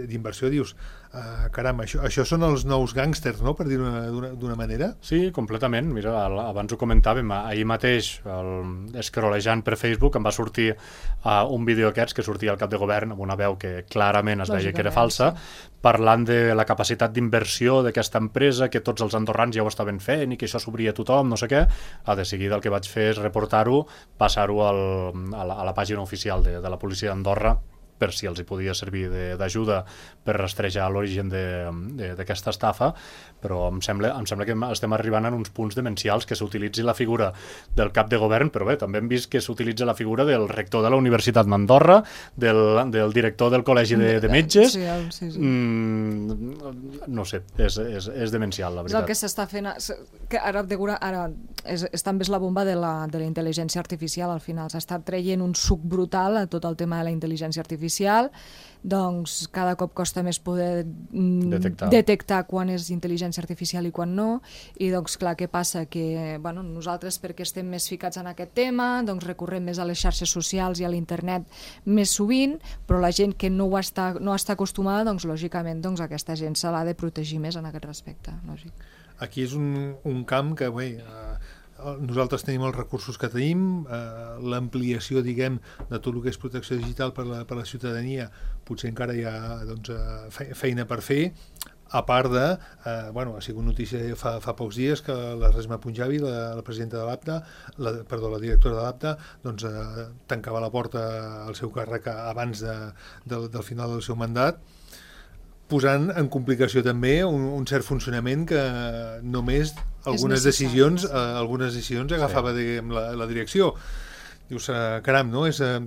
d'inversió. Dius, uh, caram, això, això són els nous gàngsters, no?, per dir-ho d'una manera? Sí, completament. Mira, abans ho comentàvem, ahir mateix, el, escrolejant per Facebook, em va sortir uh, un vídeo aquests que sortia al cap de govern amb una veu que clarament es veia que era falsa, sí. parlant de la capacitat d'inversió d'aquesta empresa, que tots els andorrans ja ho estaven fent i que això s'obria a tothom, no sé què. A de seguida el que vaig fer és reportar-ho, passar-ho a, la, a la pàgina oficial de, de la policia d'Andorra, per si els hi podia servir d'ajuda per rastrejar l'origen d'aquesta estafa, però em sembla, em sembla que estem arribant en uns punts demencials que s'utilitzi la figura del cap de govern, però bé, també hem vist que s'utilitza la figura del rector de la Universitat d'Andorra, del, del director del Col·legi de, de Metges. Sí, sí, sí. Mm, no sé, és, és, és demencial, la veritat. És el que s'està fent, que ara, ara és, és també és la bomba de la, de la intel·ligència artificial, al final s'està traient un suc brutal a tot el tema de la intel·ligència artificial, doncs cada cop costa més poder detectar. detectar quan és intel·ligència artificial i quan no, i doncs clar, què passa? Que bueno, nosaltres, perquè estem més ficats en aquest tema, doncs recorrem més a les xarxes socials i a l'internet més sovint, però la gent que no ho està, no està acostumada, doncs lògicament doncs, aquesta gent se l'ha de protegir més en aquest respecte, lògic. Aquí és un, un camp que bé, eh, nosaltres tenim els recursos que tenim, eh, l'ampliació, diguem, de tot el que és protecció digital per la, per la ciutadania, potser encara hi ha doncs, feina per fer, a part de, eh, bueno, ha sigut notícia fa, fa pocs dies que la Resma Punjabi, la, la presidenta de l'APTA, la, perdó, la directora de l'APTA, doncs eh, tancava la porta al seu càrrec abans de, de, del final del seu mandat, posant en complicació també un, un cert funcionament que només algunes decisions, eh, algunes decisions agafava sí. diguem, la, la direcció. Dius, eh, caram, no? És eh,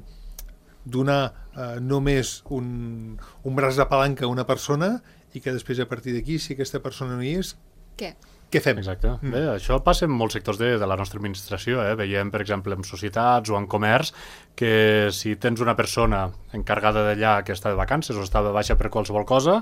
donar eh, només un, un braç de palanca a una persona i que després a partir d'aquí, si aquesta persona no hi és, què? Què fem? Exacte. Mm. Bé, això passa en molts sectors de, de la nostra administració. Eh? Veiem, per exemple, en societats o en comerç, que si tens una persona encarregada d'allà que està de vacances o està de baixa per qualsevol cosa,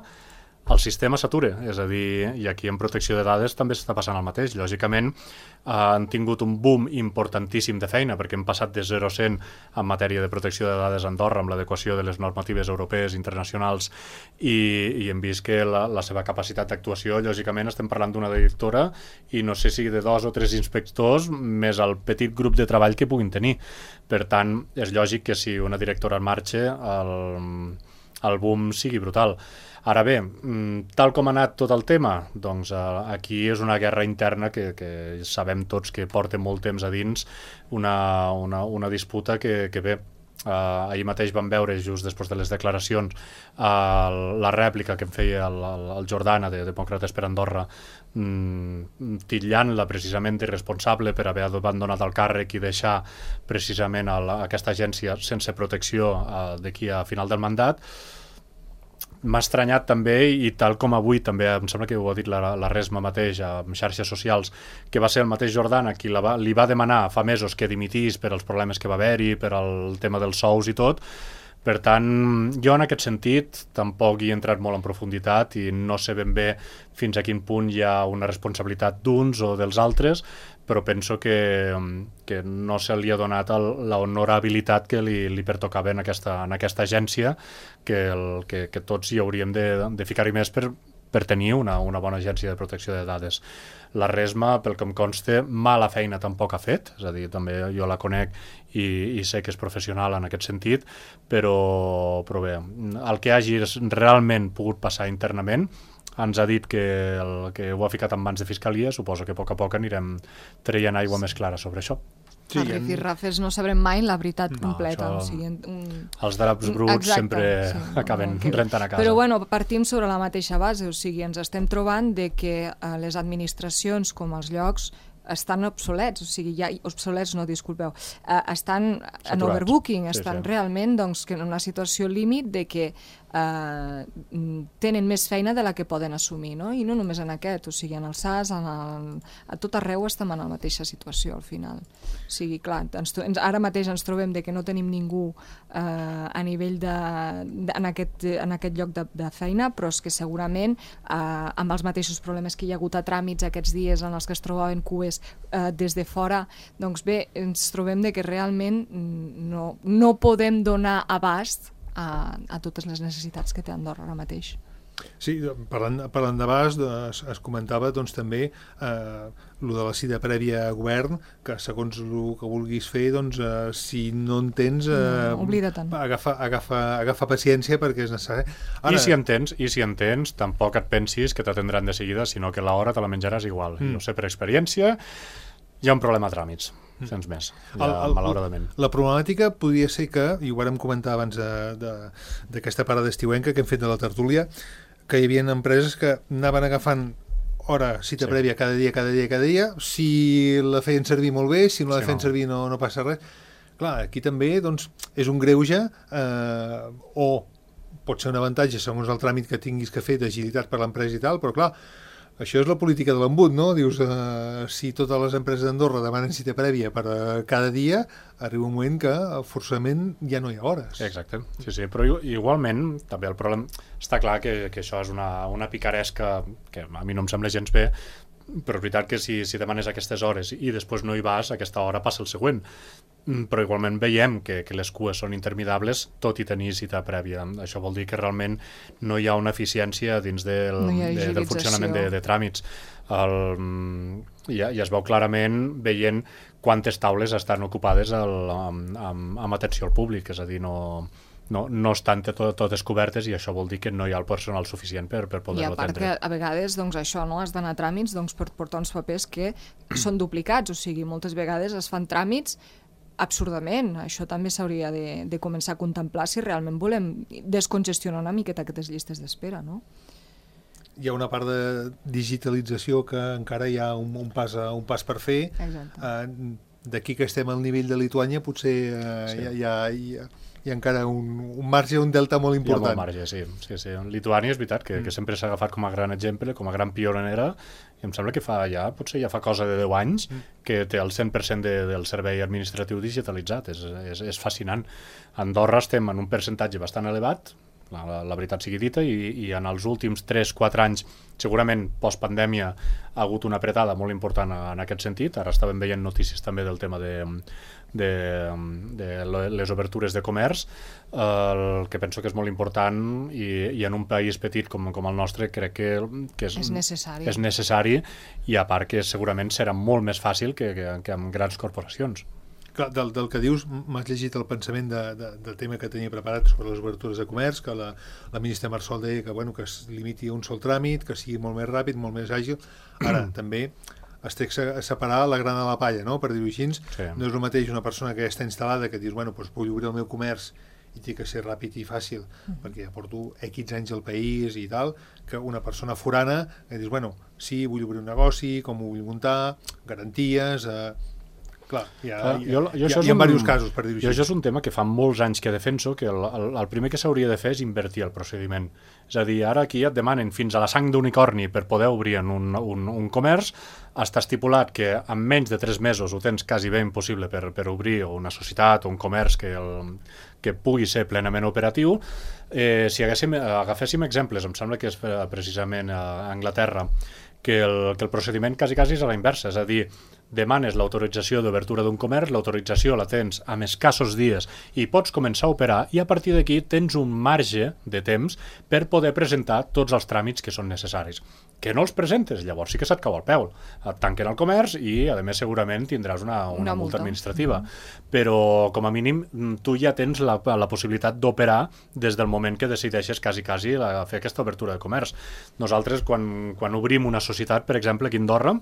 el sistema s'atura, és a dir, i aquí en protecció de dades també s'està passant el mateix. Lògicament, eh, han tingut un boom importantíssim de feina, perquè hem passat de zero a cent en matèria de protecció de dades a Andorra, amb l'adequació de les normatives europees, internacionals, i, i hem vist que la, la seva capacitat d'actuació, lògicament, estem parlant d'una directora, i no sé si de dos o tres inspectors, més el petit grup de treball que puguin tenir. Per tant, és lògic que si una directora en marxa, el, el boom sigui brutal. Ara bé, tal com ha anat tot el tema, doncs aquí és una guerra interna que, que sabem tots que porta molt temps a dins, una, una, una disputa que, que bé, Uh, ahir mateix vam veure, just després de les declaracions, uh, la rèplica que em feia el, el, el Jordana de Demòcrates per Andorra, mm, titllant-la precisament irresponsable per haver abandonat el càrrec i deixar precisament el, aquesta agència sense protecció uh, d'aquí a final del mandat. m'ha estranyat també, i tal com avui també, em sembla que ho ha dit la, la Resma mateix en xarxes socials, que va ser el mateix Jordana qui la va, li va demanar fa mesos que dimitís per als problemes que va haver-hi, per al tema dels sous i tot. Per tant, jo en aquest sentit tampoc hi he entrat molt en profunditat i no sé ben bé fins a quin punt hi ha una responsabilitat d'uns o dels altres, però penso que, que no se li ha donat l'honorabilitat que li, li pertocava en aquesta, en aquesta agència, que, el, que, que tots hi hauríem de, de ficar-hi més per, per tenir una, una bona agència de protecció de dades. La Resma, pel que em consta, mala feina tampoc ha fet, és a dir, també jo la conec i, i sé que és professional en aquest sentit, però, però bé, el que hagi realment pogut passar internament ens ha dit que, el, que ho ha ficat en mans de Fiscalia, suposo que a poc a poc anirem traient aigua més clara sobre això. Sí, a Rifirrafes no sabrem mai la veritat completa. No, o sigui, un... Els draps bruts exacte, sempre sí, acaben no, rentant a casa. Però bueno, partim sobre la mateixa base, o sigui, ens estem trobant de que eh, les administracions com els llocs estan obsolets, o sigui, ja, obsolets no, disculpeu, eh, estan en overbooking, sí, estan sí. realment doncs, que en una situació límit de que eh, tenen més feina de la que poden assumir, no? I no només en aquest, o sigui, en el S A S, en el, a tot arreu estem en la mateixa situació al final. O sigui, clar, ens, ens, ara mateix ens trobem de que no tenim ningú eh, a nivell de, de en, aquest, en aquest lloc de, de feina, però és que segurament eh, amb els mateixos problemes que hi ha hagut a tràmits aquests dies en els que es trobaven cues eh, des de fora, doncs bé, ens trobem de que realment no, no podem donar abast a, a totes les necessitats que té Andorra ara mateix. Sí, parlant, parlant d'abast, es, es comentava doncs, també eh, lo de la cita prèvia a govern, que segons el que vulguis fer, doncs, eh, si no en tens, eh, no, oblida-te'n. Agafa, agafa, agafa paciència perquè és necessari. Ara... I si en tens, i si en tens, tampoc et pensis que t'atendran de seguida, sinó que l'hora te la menjaràs igual. Mm. Jo sé per experiència, hi ha un problema a tràmits, mm. sense més, ja, el, el, malauradament. La problemàtica podria ser que, i ho vàrem comentar abans d'aquesta parada estiuenca que hem fet de la tertúlia, que hi havia empreses que anaven agafant hora, cita sí. prèvia cada dia, cada dia, cada dia, si la feien servir molt bé, si no la sí, feien no. servir no, no passa res. Clar, aquí també doncs, és un greuge, eh, o pot ser un avantatge segons el tràmit que tinguis que fer d'agilitat per l'empresa i tal, però clar, això és la política de l'embut, no? Dius, eh, si totes les empreses d'Andorra demanen cita prèvia per uh, cada dia, arriba un moment que forçament ja no hi ha hores. Exacte, sí, sí, però igualment també el problema, està clar que, que això és una, una picaresca que a mi no em sembla gens bé, però és veritat que si, si demanes aquestes hores i després no hi vas, aquesta hora passa el següent. Però igualment veiem que, que les cues són interminables tot i tenir cita prèvia. Això vol dir que realment no hi ha una eficiència dins del, no de, del funcionament de, de tràmits. El, ja, ja es veu clarament veient quantes taules estan ocupades el, amb, amb, amb atenció al públic, és a dir, no... No, no estan tot, totes cobertes i això vol dir que no hi ha el personal suficient per, per poder-lo atendre. I a part que a vegades doncs, això no has d'anar a tràmits doncs, per portar uns papers que són duplicats, o sigui, moltes vegades es fan tràmits absurdament. Això també s'hauria de, de començar a contemplar si realment volem descongestionar una miqueta aquestes llistes d'espera, no? Hi ha una part de digitalització que encara hi ha un, un, pas, un pas per fer. Exacte. Uh, d'aquí que estem al nivell de Lituània potser uh, sí. hi, ha, hi, ha, hi, ha, hi ha encara un, un marge, un delta molt important. Hi ha molt marge, sí. sí, sí. Lituània és veritat que, mm. que sempre s'ha agafat com a gran exemple, com a gran pionera, i em sembla que fa ja, potser ja fa cosa de deu anys mm. que té el cent per cent de, del servei administratiu digitalitzat. És, és, és fascinant. A Andorra estem en un percentatge bastant elevat, la, la, la veritat sigui dita, i, i en els últims tres quatre anys, segurament postpandèmia, ha hagut una apretada molt important en aquest sentit. Ara estàvem veient notícies també del tema de, de, de les obertures de comerç, el que penso que és molt important, i, i en un país petit com, com el nostre crec que, que és, és, necessari. és necessari, i a part que segurament serà molt més fàcil que, que, que amb grans corporacions. Clar, del, del que dius, m'has llegit el pensament de, de, del tema que tenia preparat sobre les obertures de comerç, que la, la ministra Marsol deia que, bueno, que es limiti a un sol tràmit, que sigui molt més ràpid, molt més àgil. Ara, també es té que separar la grana de la palla, no?, per dir-ho així. Sí. No és el mateix una persona que ja està instal·lada, que dius, bueno, doncs vull obrir el meu comerç i té que ser ràpid i fàcil, mm. perquè ja porto X anys al país i tal, que una persona forana que dius, bueno, sí, vull obrir un negoci, com ho vull muntar, garanties... Eh, Clar, hi ha, Clar, hi ha, jo, jo hi ha, això és hi ha un, diversos casos, per dir-ho jo així. això és un tema que fa molts anys que defenso, que el, el, el primer que s'hauria de fer és invertir el procediment. És a dir, ara aquí et demanen fins a la sang d'unicorni per poder obrir en un, un, un comerç, està estipulat que en menys de tres mesos ho tens quasi bé impossible per, per obrir una societat o un comerç que, el, que pugui ser plenament operatiu. Eh, si haguéssim, agaféssim exemples, em sembla que és precisament a Anglaterra, que el, que el procediment quasi, quasi és a la inversa, és a dir, demanes l'autorització d'obertura d'un comerç, l'autorització la tens amb escassos dies i pots començar a operar, i a partir d'aquí tens un marge de temps per poder presentar tots els tràmits que són necessaris. Que no els presentes, llavors sí que se't cau el peu. Et tanquen el comerç i, a més, segurament tindràs una, una, una multa administrativa. Mm-hmm. Però, com a mínim, tu ja tens la, la possibilitat d'operar des del moment que decideixes quasi, quasi la, fer aquesta obertura de comerç. Nosaltres, quan, quan obrim una societat, per exemple, aquí a Andorra,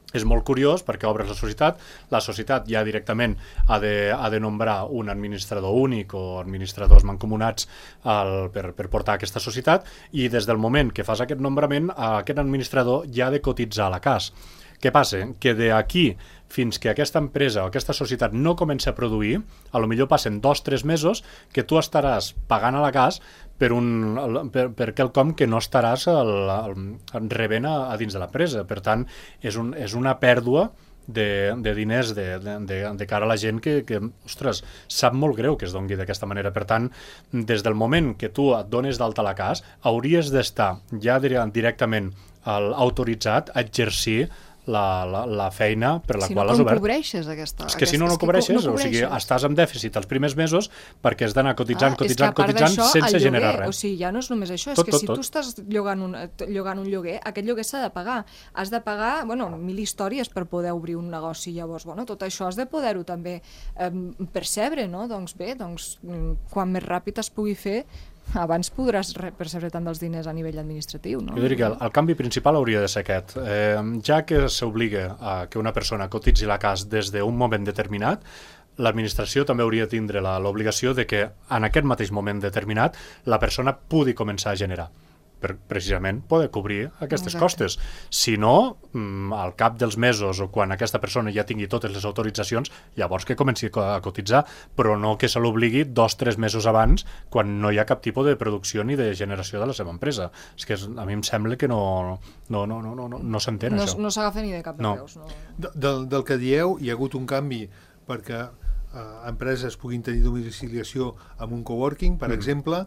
és molt curiós perquè obres la societat, la societat ja directament ha de, ha de nombrar un administrador únic o administradors mancomunats al, per, per portar aquesta societat, i des del moment que fas aquest nombrament, aquest administrador ja ha de cotitzar a la C A S. Què passa? Que d'aquí fins que aquesta empresa o aquesta societat no comença a produir, a lo millor passen dos o tres mesos que tu estaràs pagant a la C A S per, un, per, per quelcom que no estaràs el, el, rebent a, a dins de l'empresa. Per tant, és, un, és una pèrdua de, de diners de, de, de cara a la gent que, que, ostres, sap molt greu que es doni d'aquesta manera. Per tant, des del moment que tu et dones d'alta a la C A S, hauries d'estar ja directament autoritzat a exercir La, la, la feina per la si qual no, has obert. Si no, com cobreixes aquesta... És que si no, no cobreixes, no o sigui, estàs amb dèficit els primers mesos perquè has d'anar cotitzant, ah, cotitzant, cotitzant, sense lloguer, generar res. O sigui, ja no és només això, tot, és que tot, si tot. tu estàs llogant un, llogant un lloguer, aquest lloguer s'ha de pagar. Has de pagar, bueno, mil històries per poder obrir un negoci, llavors, bueno, tot això has de poder-ho també eh, percebre, no? Doncs bé, doncs, quan més ràpid es pugui fer, abans podràs percebre tant dels diners a nivell administratiu, no? Jo diria que el, el canvi principal hauria de ser aquest. Eh, ja que s'obliga a que una persona cotitzi la C A S des d'un moment determinat, l'administració també hauria de tindre l'obligació de que en aquest mateix moment determinat la persona pugui començar a generar, per precisament poder cobrir aquestes Exacte. costes. Si no, al cap dels mesos o quan aquesta persona ja tingui totes les autoritzacions, llavors que comenci a cotitzar, però no que se l'obligui dos o tres mesos abans, quan no hi ha cap tipus de producció ni de generació de la seva empresa. És que a mi em sembla que no, no, no, no, no, no s'entén, no, això. No s'agafa ni de cap de no. peus. No. De, del, del que dieu, hi ha hagut un canvi perquè eh, empreses puguin tenir domiciliació amb un coworking, per mm. exemple.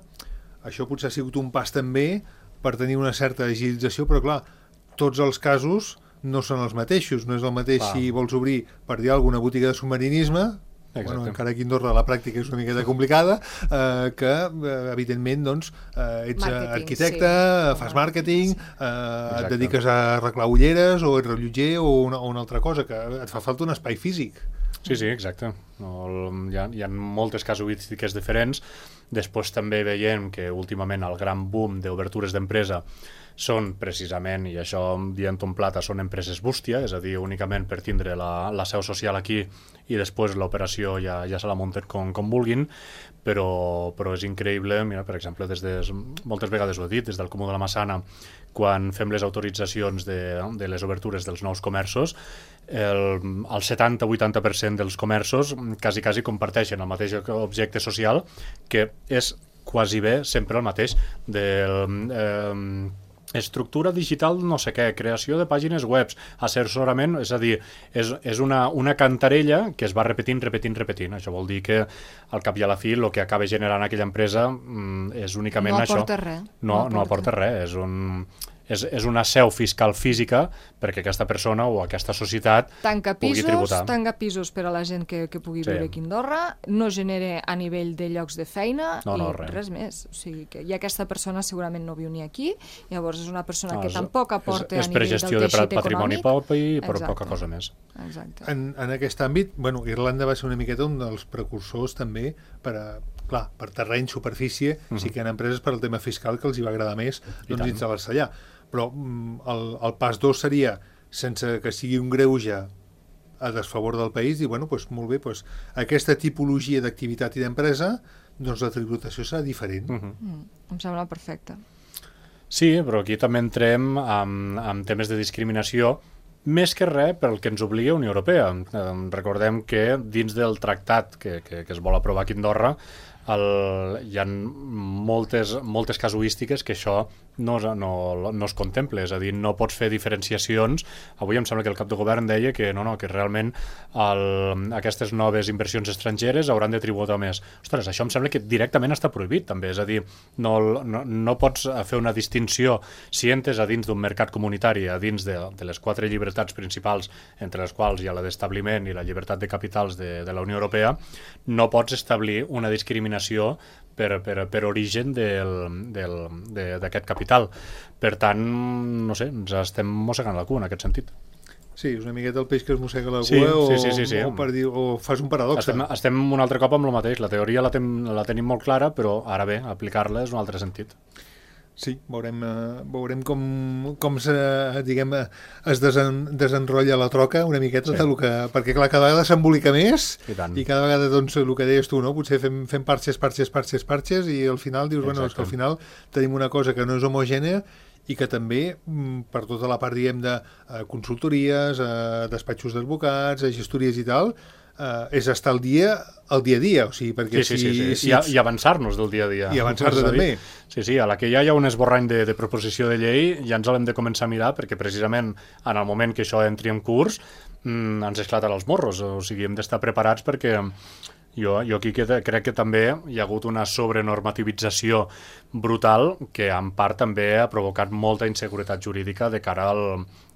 Això potser ha sigut un pas també per tenir una certa agilització, però clar, tots els casos no són els mateixos. No és el mateix clar. Si vols obrir, per dir alguna botiga de submarinisme, bueno, encara aquí a Andorra la pràctica és una miqueta complicada, eh, que eh, evidentment doncs, eh, ets màrqueting, arquitecte, sí. fas màrqueting, eh, et dediques a arreglar ulleres o ets rellotger o una, o una altra cosa, que et fa falta un espai físic. Sí, sí, exacte. No, hi, ha, hi ha moltes casuístiques diferents. Després també veiem que últimament el gran boom d'obertures d'empresa són precisament, i això dient un plata, són empreses bústia, és a dir, únicament per tindre la, la seu social aquí i després l'operació ja, ja se la munten com, com vulguin, però, però és increïble, mira, per exemple, des de, moltes vegades ho he dit, des del Comú de la Massana, quan fem les autoritzacions de, de les obertures dels nous comerços, el, el setanta a vuitanta per cent dels comerços quasi, quasi comparteixen el mateix objecte social, que és quasi bé sempre el mateix del... Eh, estructura digital no sé què, creació de pàgines webs, assessorament, és a dir, és, és una, una cantarella que es va repetint, repetint, repetint. Això vol dir que al cap i a la fi el que acaba generant aquella empresa mm, és únicament no això. Aporta res. No, no aporta res. És un... És, és una seu fiscal física perquè aquesta persona o aquesta societat tanca pugui pisos, tributar. Tanca pisos per a la gent que, que pugui sí. viure aquí a Andorra, no genera a nivell de llocs de feina no, no, i res. res més. O sigui que i aquesta persona segurament no viu ni aquí, llavors és una persona no, que és, tampoc aporta és, és a nivell del teixit econòmic. És per gestió de patrimoni propi i per Exacte. Poca cosa més. Exacte. En, en aquest àmbit, bueno, Irlanda va ser una miqueta un dels precursors també per a clar, per terreny, superfície, uh-huh. sí que hi ha empreses per al tema fiscal que els hi va agradar més doncs, instal·lar-se allà. Però el, el pas dos seria, sense que sigui un greuge a desfavor del país, dir, bueno, doncs, molt bé, doncs, aquesta tipologia d'activitat i d'empresa, doncs la tributació serà diferent. Uh-huh. Mm, em sembla perfecte. Sí, però aquí també entrem amb, amb temes de discriminació més que res pel que ens obliga Unió Europea. Eh, recordem que dins del tractat que, que, que es vol aprovar aquí a Andorra el, hi ha moltes, moltes casuístiques que això no, no, no es contempla, és a dir, no pots fer diferenciacions. Avui em sembla que el cap de govern deia que no, no, que realment el, aquestes noves inversions estrangeres hauran de tributar més. Ostres, això em sembla que directament està prohibit també, és a dir, no, no, no pots fer una distinció si entres a dins d'un mercat comunitari, a dins de, de les quatre llibertats principals, entre les quals hi ha la d'establiment i la llibertat de capitals de, de la Unió Europea, no pots establir una discriminació per, per, per origen d'aquest capital. Per tant, no sé, ens estem mossegant la cua en aquest sentit. Sí, és una miqueta el peix que es mossega la cua, sí, o, sí, sí, sí, sí. O, per dir, o fas un paradox. Estem, estem un altre cop amb el mateix. La teoria la, ten, la tenim molt clara, però ara bé, aplicar-la és un altre sentit. Sí, veurem, uh, veurem com, com se, diguem, es desen, desenrotlla la troca una miqueta, sí. que, perquè clar, cada vegada s'embolica més i, i cada vegada, doncs, el que deies tu, no? Potser fem, fem parxes, parxes, parxes, parxes i al final dius, Exacte. bueno, és que al final tenim una cosa que no és homogènia i que també, per tota la part, diguem, de uh, consultories, uh, despatxos d'advocats, uh, gestories i tal, Uh, és estar al dia, al dia a dia, o sigui, perquè sí, sí, si... sí, sí. si I, I avançar-nos del dia a dia. I avançar-nos també. Sí, sí, a la que ja hi ha un esborrany de, de proposició de llei, ja ens l'hem de començar a mirar, perquè precisament en el moment que això entri en curs, mmm, ens esclatarà els morros, o sigui, hem d'estar preparats perquè jo, jo aquí que, crec que també hi ha hagut una sobrenormativització brutal que en part també ha provocat molta inseguretat jurídica de cara al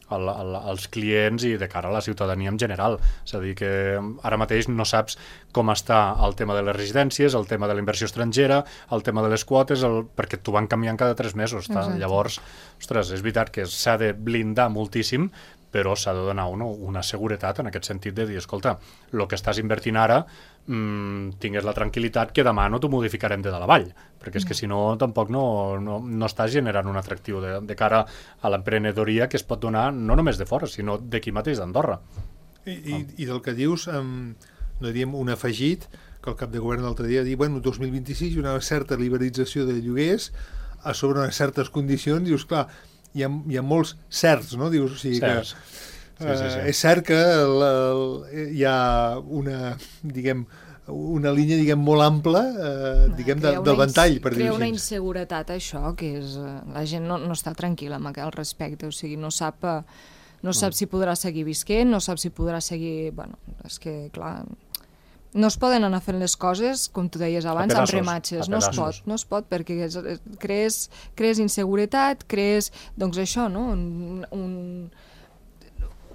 Al, al, als clients i de cara a la ciutadania en general. És a dir, que ara mateix no saps com està el tema de les residències, el tema de la inversió estrangera, el tema de les quotes, el, perquè t'ho van canviant cada tres mesos. Llavors, ostres, és veritat que s'ha de blindar moltíssim, però s'ha de donar una, una seguretat en aquest sentit de dir, escolta, el que estàs invertint ara mmm, tingues la tranquil·litat que demà no t'ho modificarem de dalt a vall, perquè és que si no tampoc no, no, no estàs generant un atractiu de, de cara a l'emprenedoria que es pot donar no només de fora, sinó d'aquí mateix d'Andorra. I, i, I del que dius, um, no diríem un afegit, que el cap de govern l'altre dia diu, bueno, dos mil vint-i-sis hi ha una certa liberalització de lloguers a sobre unes certes condicions, dius, clar, hi ha, hi ha molts certs, no? Dius, o sigui certs. que sí, sí, sí. Uh, és cert que la, la, hi ha una, diguem, una línia, diguem, molt ampla, uh, diguem, de, del ventall, per dir-ho així. Crea una inseguretat, això, que és... Uh, la gent no, no està tranquil·la amb aquell respecte, o sigui, no sap, uh, no sap mm. si podrà seguir visquent, no sap si podrà seguir... Bueno, és que, clar... No es poden anar fent les coses, com tu deies abans, pedaços, amb rematxes. No es pot, no es pot, perquè és, crees, crees inseguretat, crees, doncs això, no? Un, un,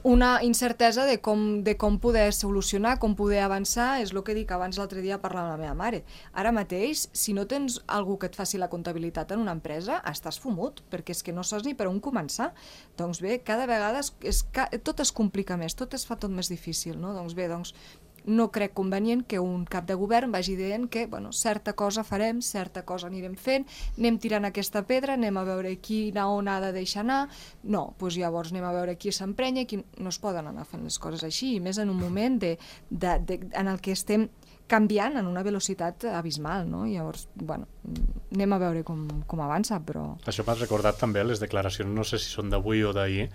una incertesa de com, de com poder solucionar, com poder avançar, és el que dic abans l'altre dia parlant amb la meva mare. Ara mateix, si no tens algú que et faci la comptabilitat en una empresa, estàs fumut, perquè és que no saps ni per on començar. Doncs bé, cada vegada es, és, tot es complica més, tot es fa tot més difícil, no? Doncs bé, doncs no crec convenient que un cap de govern vagi dient que, bueno, certa cosa farem, certa cosa anirem fent, anem tirant aquesta pedra, anem a veure quina on ha de deixar anar, no, doncs llavors anem a veure qui s'emprenya, qui... no es poden anar fent les coses així, i més en un moment de, de, de, en el que estem canviant en una velocitat abismal, no? Llavors, bueno, anem a veure com, com avança, però... Això m'has recordat també les declaracions, no sé si són d'avui o d'ahir,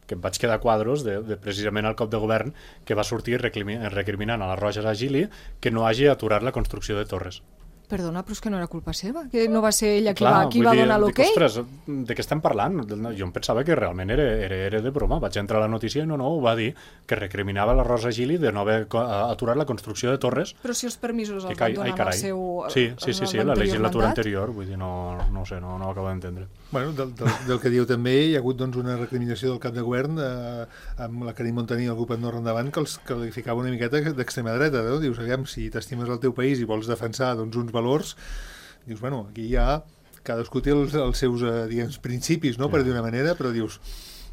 que em vaig quedar quadros de, de precisament el cop de govern que va sortir recriminant a la Roja Gili que no hagi aturat la construcció de torres. Perdona, però és que no era culpa seva, que no va ser ella qui Clar, va, qui va donar l'okei? Ostres, de què estem parlant? Jo em pensava que realment era, era, era de broma. Vaig entrar a la notícia i no, no, ho va dir, que recriminava la Rosa Gili de no haver aturat la construcció de torres. Però si els permisos els van donar en el seu... Sí, sí, sí, sí, la legislatura mandat? anterior, vull dir, no, no ho sé, no, no ho acabo d'entendre. Bueno, del, del, del que diu també, hi ha hagut doncs, una recriminació del cap de govern eh, amb la Carme Montaní i el grup Andorra Endavant que els qualificava una miqueta d'extrema dreta, no? Dius, aviam, si t'estimes el teu país i vols defensar doncs, uns valors, dius, bueno, aquí hi ha... Cadascú té els, els seus, eh, diguem, principis, no?, per dir una manera, però dius...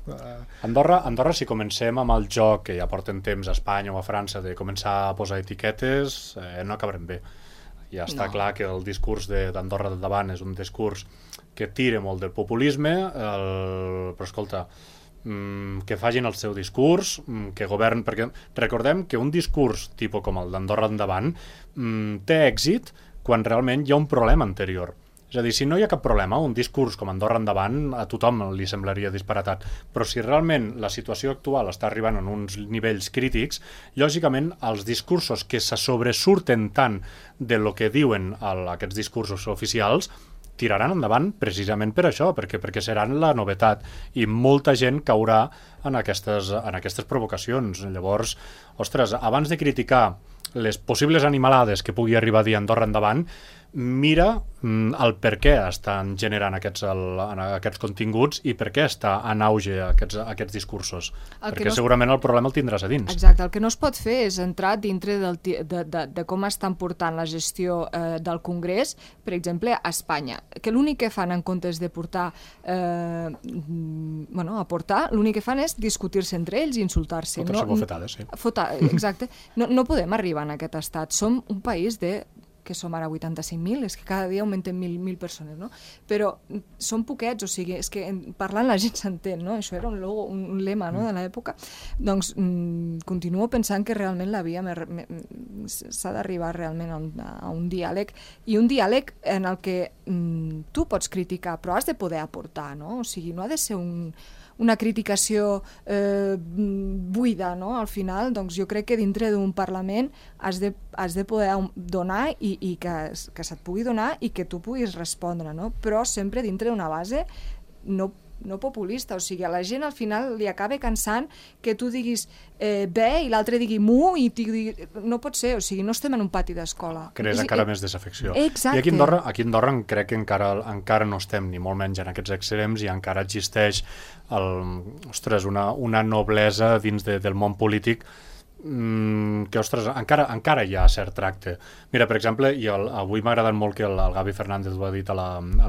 Uh... Andorra, Andorra, si comencem amb el joc que ja porten temps a Espanya o a França de començar a posar etiquetes, eh, no acabarem bé. Ja està no. clar que el discurs d'Andorra del davant és un discurs que tira molt del populisme, el... però escolta, mmm, que facin el seu discurs, mmm, que govern, perquè recordem que un discurs tipus com el d'Andorra endavant mmm, té èxit quan realment hi ha un problema anterior. És a dir, si no hi ha cap problema, un discurs com Andorra endavant a tothom li semblaria disparatat, però si realment la situació actual està arribant a uns nivells crítics, lògicament els discursos que se sobresurten tant de lo que diuen el, aquests discursos oficials tiraran endavant precisament per això, perquè, perquè seran la novetat i molta gent caurà en aquestes, en aquestes provocacions. Llavors, ostres, abans de criticar les possibles animalades que pugui arribar a dir Andorra endavant, mira mm, el per què estan generant aquests, el, aquests continguts i per què està en auge aquests, aquests discursos. El perquè no es... segurament el problema el tindràs a dins. Exacte, el que no es pot fer és entrar dintre del, de, de, de com estan portant la gestió eh, del Congrés, per exemple, a Espanya, que l'únic que fan en comptes de portar, eh, bueno, aportar, l'únic que fan és discutir-se entre ells i insultar-se. Fotre-se no, bofetades, sí. Fota, exacte. No, no podem arribar en aquest estat. Som un país de que som ara vuitanta-cinc mil, és que cada dia augmentem mil, mil persones, no? Però són poquets, o sigui, és que parlant la gent s'entén, no? Això era un, logo, un, un lema, no?, de l'època. Doncs mm, continuo pensant que realment la via s'ha d'arribar realment a un, a un diàleg, i un diàleg en el que mm, tu pots criticar, però has de poder aportar, no? O sigui, no ha de ser un una criticació eh, buida, no? Al final, doncs jo crec que dintre d'un Parlament has de, has de poder donar i, i que, que se't pugui donar i que tu puguis respondre, no? Però sempre dintre d'una base no no populista, o sigui, a la gent al final li acaba cansant que tu diguis eh, bé i l'altre digui mu i digui... no pot ser, o sigui, no estem en un pati d'escola. Crees és, encara eh, més desafecció. Exacte. I aquí a Andorra, aquí a Andorra crec que encara, encara no estem ni molt menys en aquests extrems i encara existeix el, ostres, una, una noblesa dins de, del món polític que, ostres, encara, encara hi ha cert tracte. Mira, per exemple, i el, avui m'ha agradat molt que el, el Gavi Fernández ho ha dit a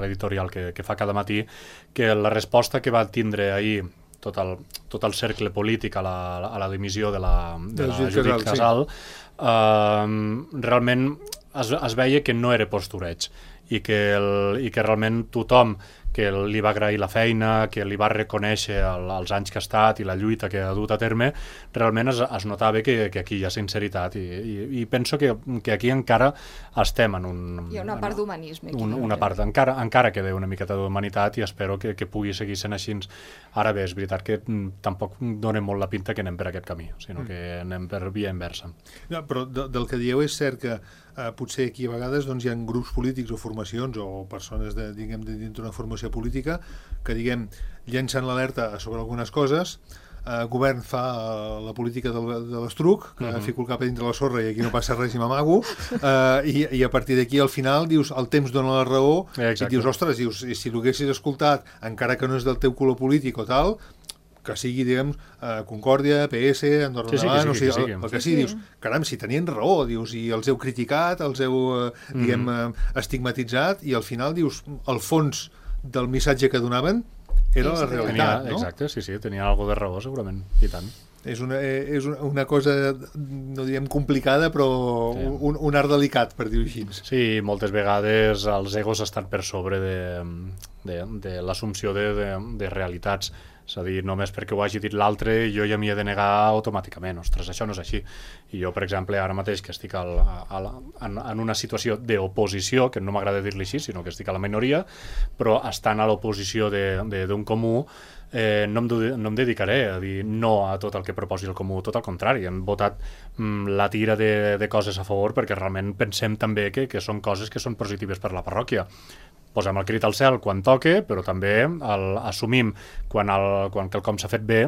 l'editorial que, que fa cada matí, que la resposta que va tindre ahir tot el, tot el cercle polític a la, a la dimissió de la, de la Judit Casal, sí. eh, realment es, es veia que no era postureig i que, el, i que realment tothom que li va agrair la feina, que li va reconèixer el, els anys que ha estat i la lluita que ha dut a terme, realment es, es notava que, que aquí hi ha sinceritat i, i, i penso que, que aquí encara estem en un... Hi ha una part d'humanisme. Un, una part, encara, encara queda una miqueta d'humanitat i espero que, que pugui seguir sent així. Ara bé, és veritat que tampoc dona molt la pinta que anem per aquest camí, sinó que anem per via inversa. No, però de, del que dieu és cert que eh, potser aquí a vegades doncs, hi ha grups polítics o formacions o persones de, diguem, de dintre d'una formació política que, diguem, llencen l'alerta sobre algunes coses, el eh, govern fa eh, la política de, de l'estruc, que uh-huh. fico el cap a dintre la sorra i aquí no passa res i m'amago, eh, i, i a partir d'aquí al final dius, el temps dona la raó, Exacte. I dius, ostres, dius, i si l'haguessis escoltat, encara que no és del teu color polític o tal, que sigui, diguem, eh, Concòrdia, P S, Andorra sí, sí, endavant, sí, o sigui, sí, sí, el, el que sí, sí, sí. dius, caram, si tenien raó, dius, i els heu criticat, els heu, eh, diguem, mm. eh, estigmatitzat, i al final dius, el fons del missatge que donaven era sí, la realitat, tenia, no? Exacte, sí, sí, tenia alguna de raó, segurament, i tant. És una, és una cosa, no diríem complicada, però sí. un, un art delicat, per dir-ho així. Sí, moltes vegades els egos estan per sobre de, de, de l'assumpció de, de, de realitats. És a dir, només perquè ho hagi dit l'altre jo ja m'hi he de negar automàticament. Ostres, això no és així. I jo, per exemple, ara mateix que estic al, al, en, en una situació d'oposició, que no m'agrada dir-li així, sinó que estic a la minoria, però estant a l'oposició d'un comú, eh, no, em, no em dedicaré a dir no a tot el que proposi el comú, tot al contrari. Hem votat mm, la tira de, de coses a favor perquè realment pensem també que, que són coses que són positives per la parròquia. Posem el crit al cel quan toque, però també el, assumim quan, el, quan quelcom s'ha fet bé,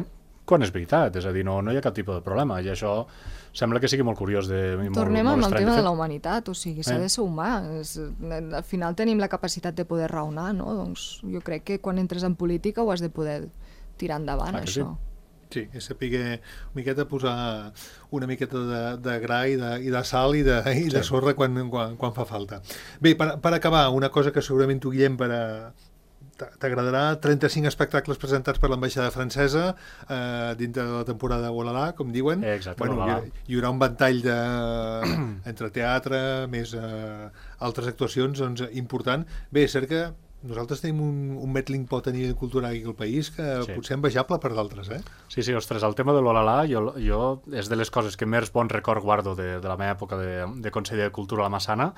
quan és veritat, és a dir, no, no hi ha cap tipus de problema, i això sembla que sigui molt curiós. De, Tornem molt, molt amb el tema de, de la humanitat, o sigui, s'ha eh? de ser humà, és, al final tenim la capacitat de poder raonar, no? Doncs jo crec que quan entres en política ho has de poder tirar endavant, ah, això. Sí. Sí, és saber una miqueta posar una miqueta de, de gra i de, i de sal i de, i de sí. sorra quan, quan, quan fa falta. Bé, per, per acabar, una cosa que segurament tu, Guillem, per a... t'agradarà, trenta-cinc espectacles presentats per l'ambaixada francesa eh, dintre de la temporada Olala, com diuen. Exacte, bueno, hi, hi haurà un ventall de, entre teatre, més eh, altres actuacions doncs, important. Bé, és cert que nosaltres tenim un, un metling pot a nivell cultural aquí al país que sí. potser envejable per d'altres, eh? Sí, sí, ostres, el tema de l'Olala jo, jo és de les coses que més bon record guardo de, de la meva època de, de conseller de Cultura a la Massana,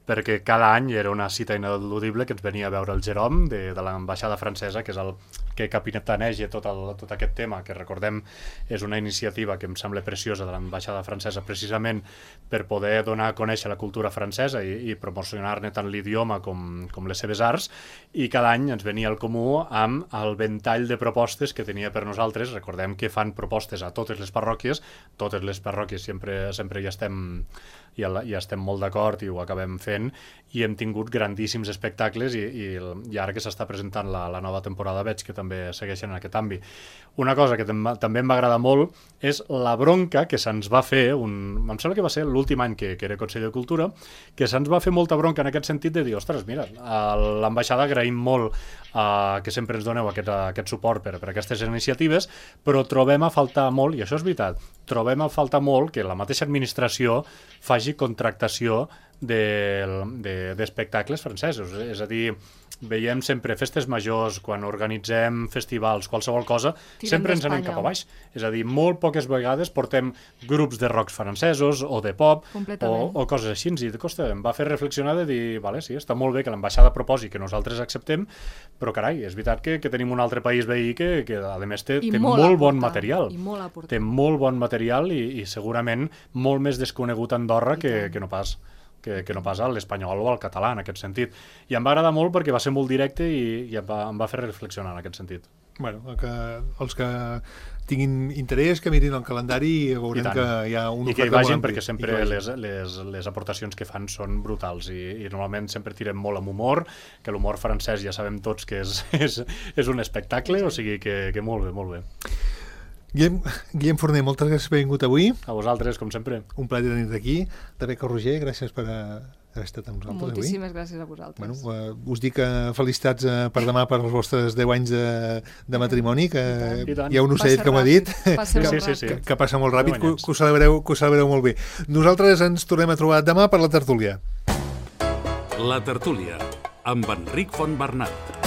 perquè cada any era una cita ineludible que ens venia a veure el Jerome de, de l'ambaixada francesa, que és el que capitaneja tot, el, tot aquest tema, que recordem és una iniciativa que em sembla preciosa de l'ambaixada francesa, precisament per poder donar a conèixer la cultura francesa i, i promocionar-ne tant l'idioma com, com les seves arts, i cada any ens venia al comú amb el ventall de propostes que tenia per nosaltres. Recordem que fan propostes a totes les parròquies, totes les parròquies sempre, sempre hi estem i ja estem molt d'acord i ho acabem fent, i hem tingut grandíssims espectacles i, i, i ara que s'està presentant la, la nova temporada veig que també segueixen en aquest àmbit. Una cosa que també em va agradar molt és la bronca que se'ns va fer, un, em sembla que va ser l'últim any que, que era conseller de Cultura, que se'ns va fer molta bronca en aquest sentit de dir, ostres, mira, a l'ambaixada agraïm molt uh, que sempre ens doneu aquest, aquest suport per, per aquestes iniciatives, però trobem a faltar molt, i això és veritat, trobem a faltar molt que la mateixa administració faci contractació d'espectacles de, de, francesos. És a dir, veiem sempre festes majors, quan organitzem festivals, qualsevol cosa, Tirem sempre ens anem cap a baix. És a dir, molt poques vegades portem grups de rocs francesos o de pop o, o coses així. I costa, em va fer reflexionar de dir, vale, sí, està molt bé que l'ambaixada proposi que nosaltres acceptem, però carai, és veritat que, que tenim un altre país veí que, que a més té, té molt, molt bon material. Molt té molt bon material i, i segurament molt més desconegut a Andorra que, que no pas. Que, que no pas a l'espanyol o al català, en aquest sentit. I em va agradar molt perquè va ser molt directe i, i em, va, em va fer reflexionar en aquest sentit. Bueno, que els que tinguin interès, que mirin el calendari i veurem que hi ha un I que hi vagin, perquè sempre les, les, les aportacions que fan són brutals i, i normalment sempre tirem molt amb humor, que l'humor francès ja sabem tots que és, és, és un espectacle, o sigui que, que molt bé, molt bé. Guillem, Guillem Forner, moltes gràcies per haver vingut avui. A vosaltres, com sempre. Un plaer tenir-te aquí. Rebecca Roger, gràcies per haver estat amb nosaltres avui. Moltíssimes gràcies a vosaltres. Bueno, uh, us dic uh, felicitats uh, per demà per els vostres deu anys de, de matrimoni, que I tant. Hi ha un ocellet, com ha dit, passa sí, sí, sí. que, que passa molt ràpid, que, que, ho celebreu, que ho celebreu molt bé. Nosaltres ens tornem a trobar demà per la tertúlia. La tertúlia, amb Enric Fontbernat.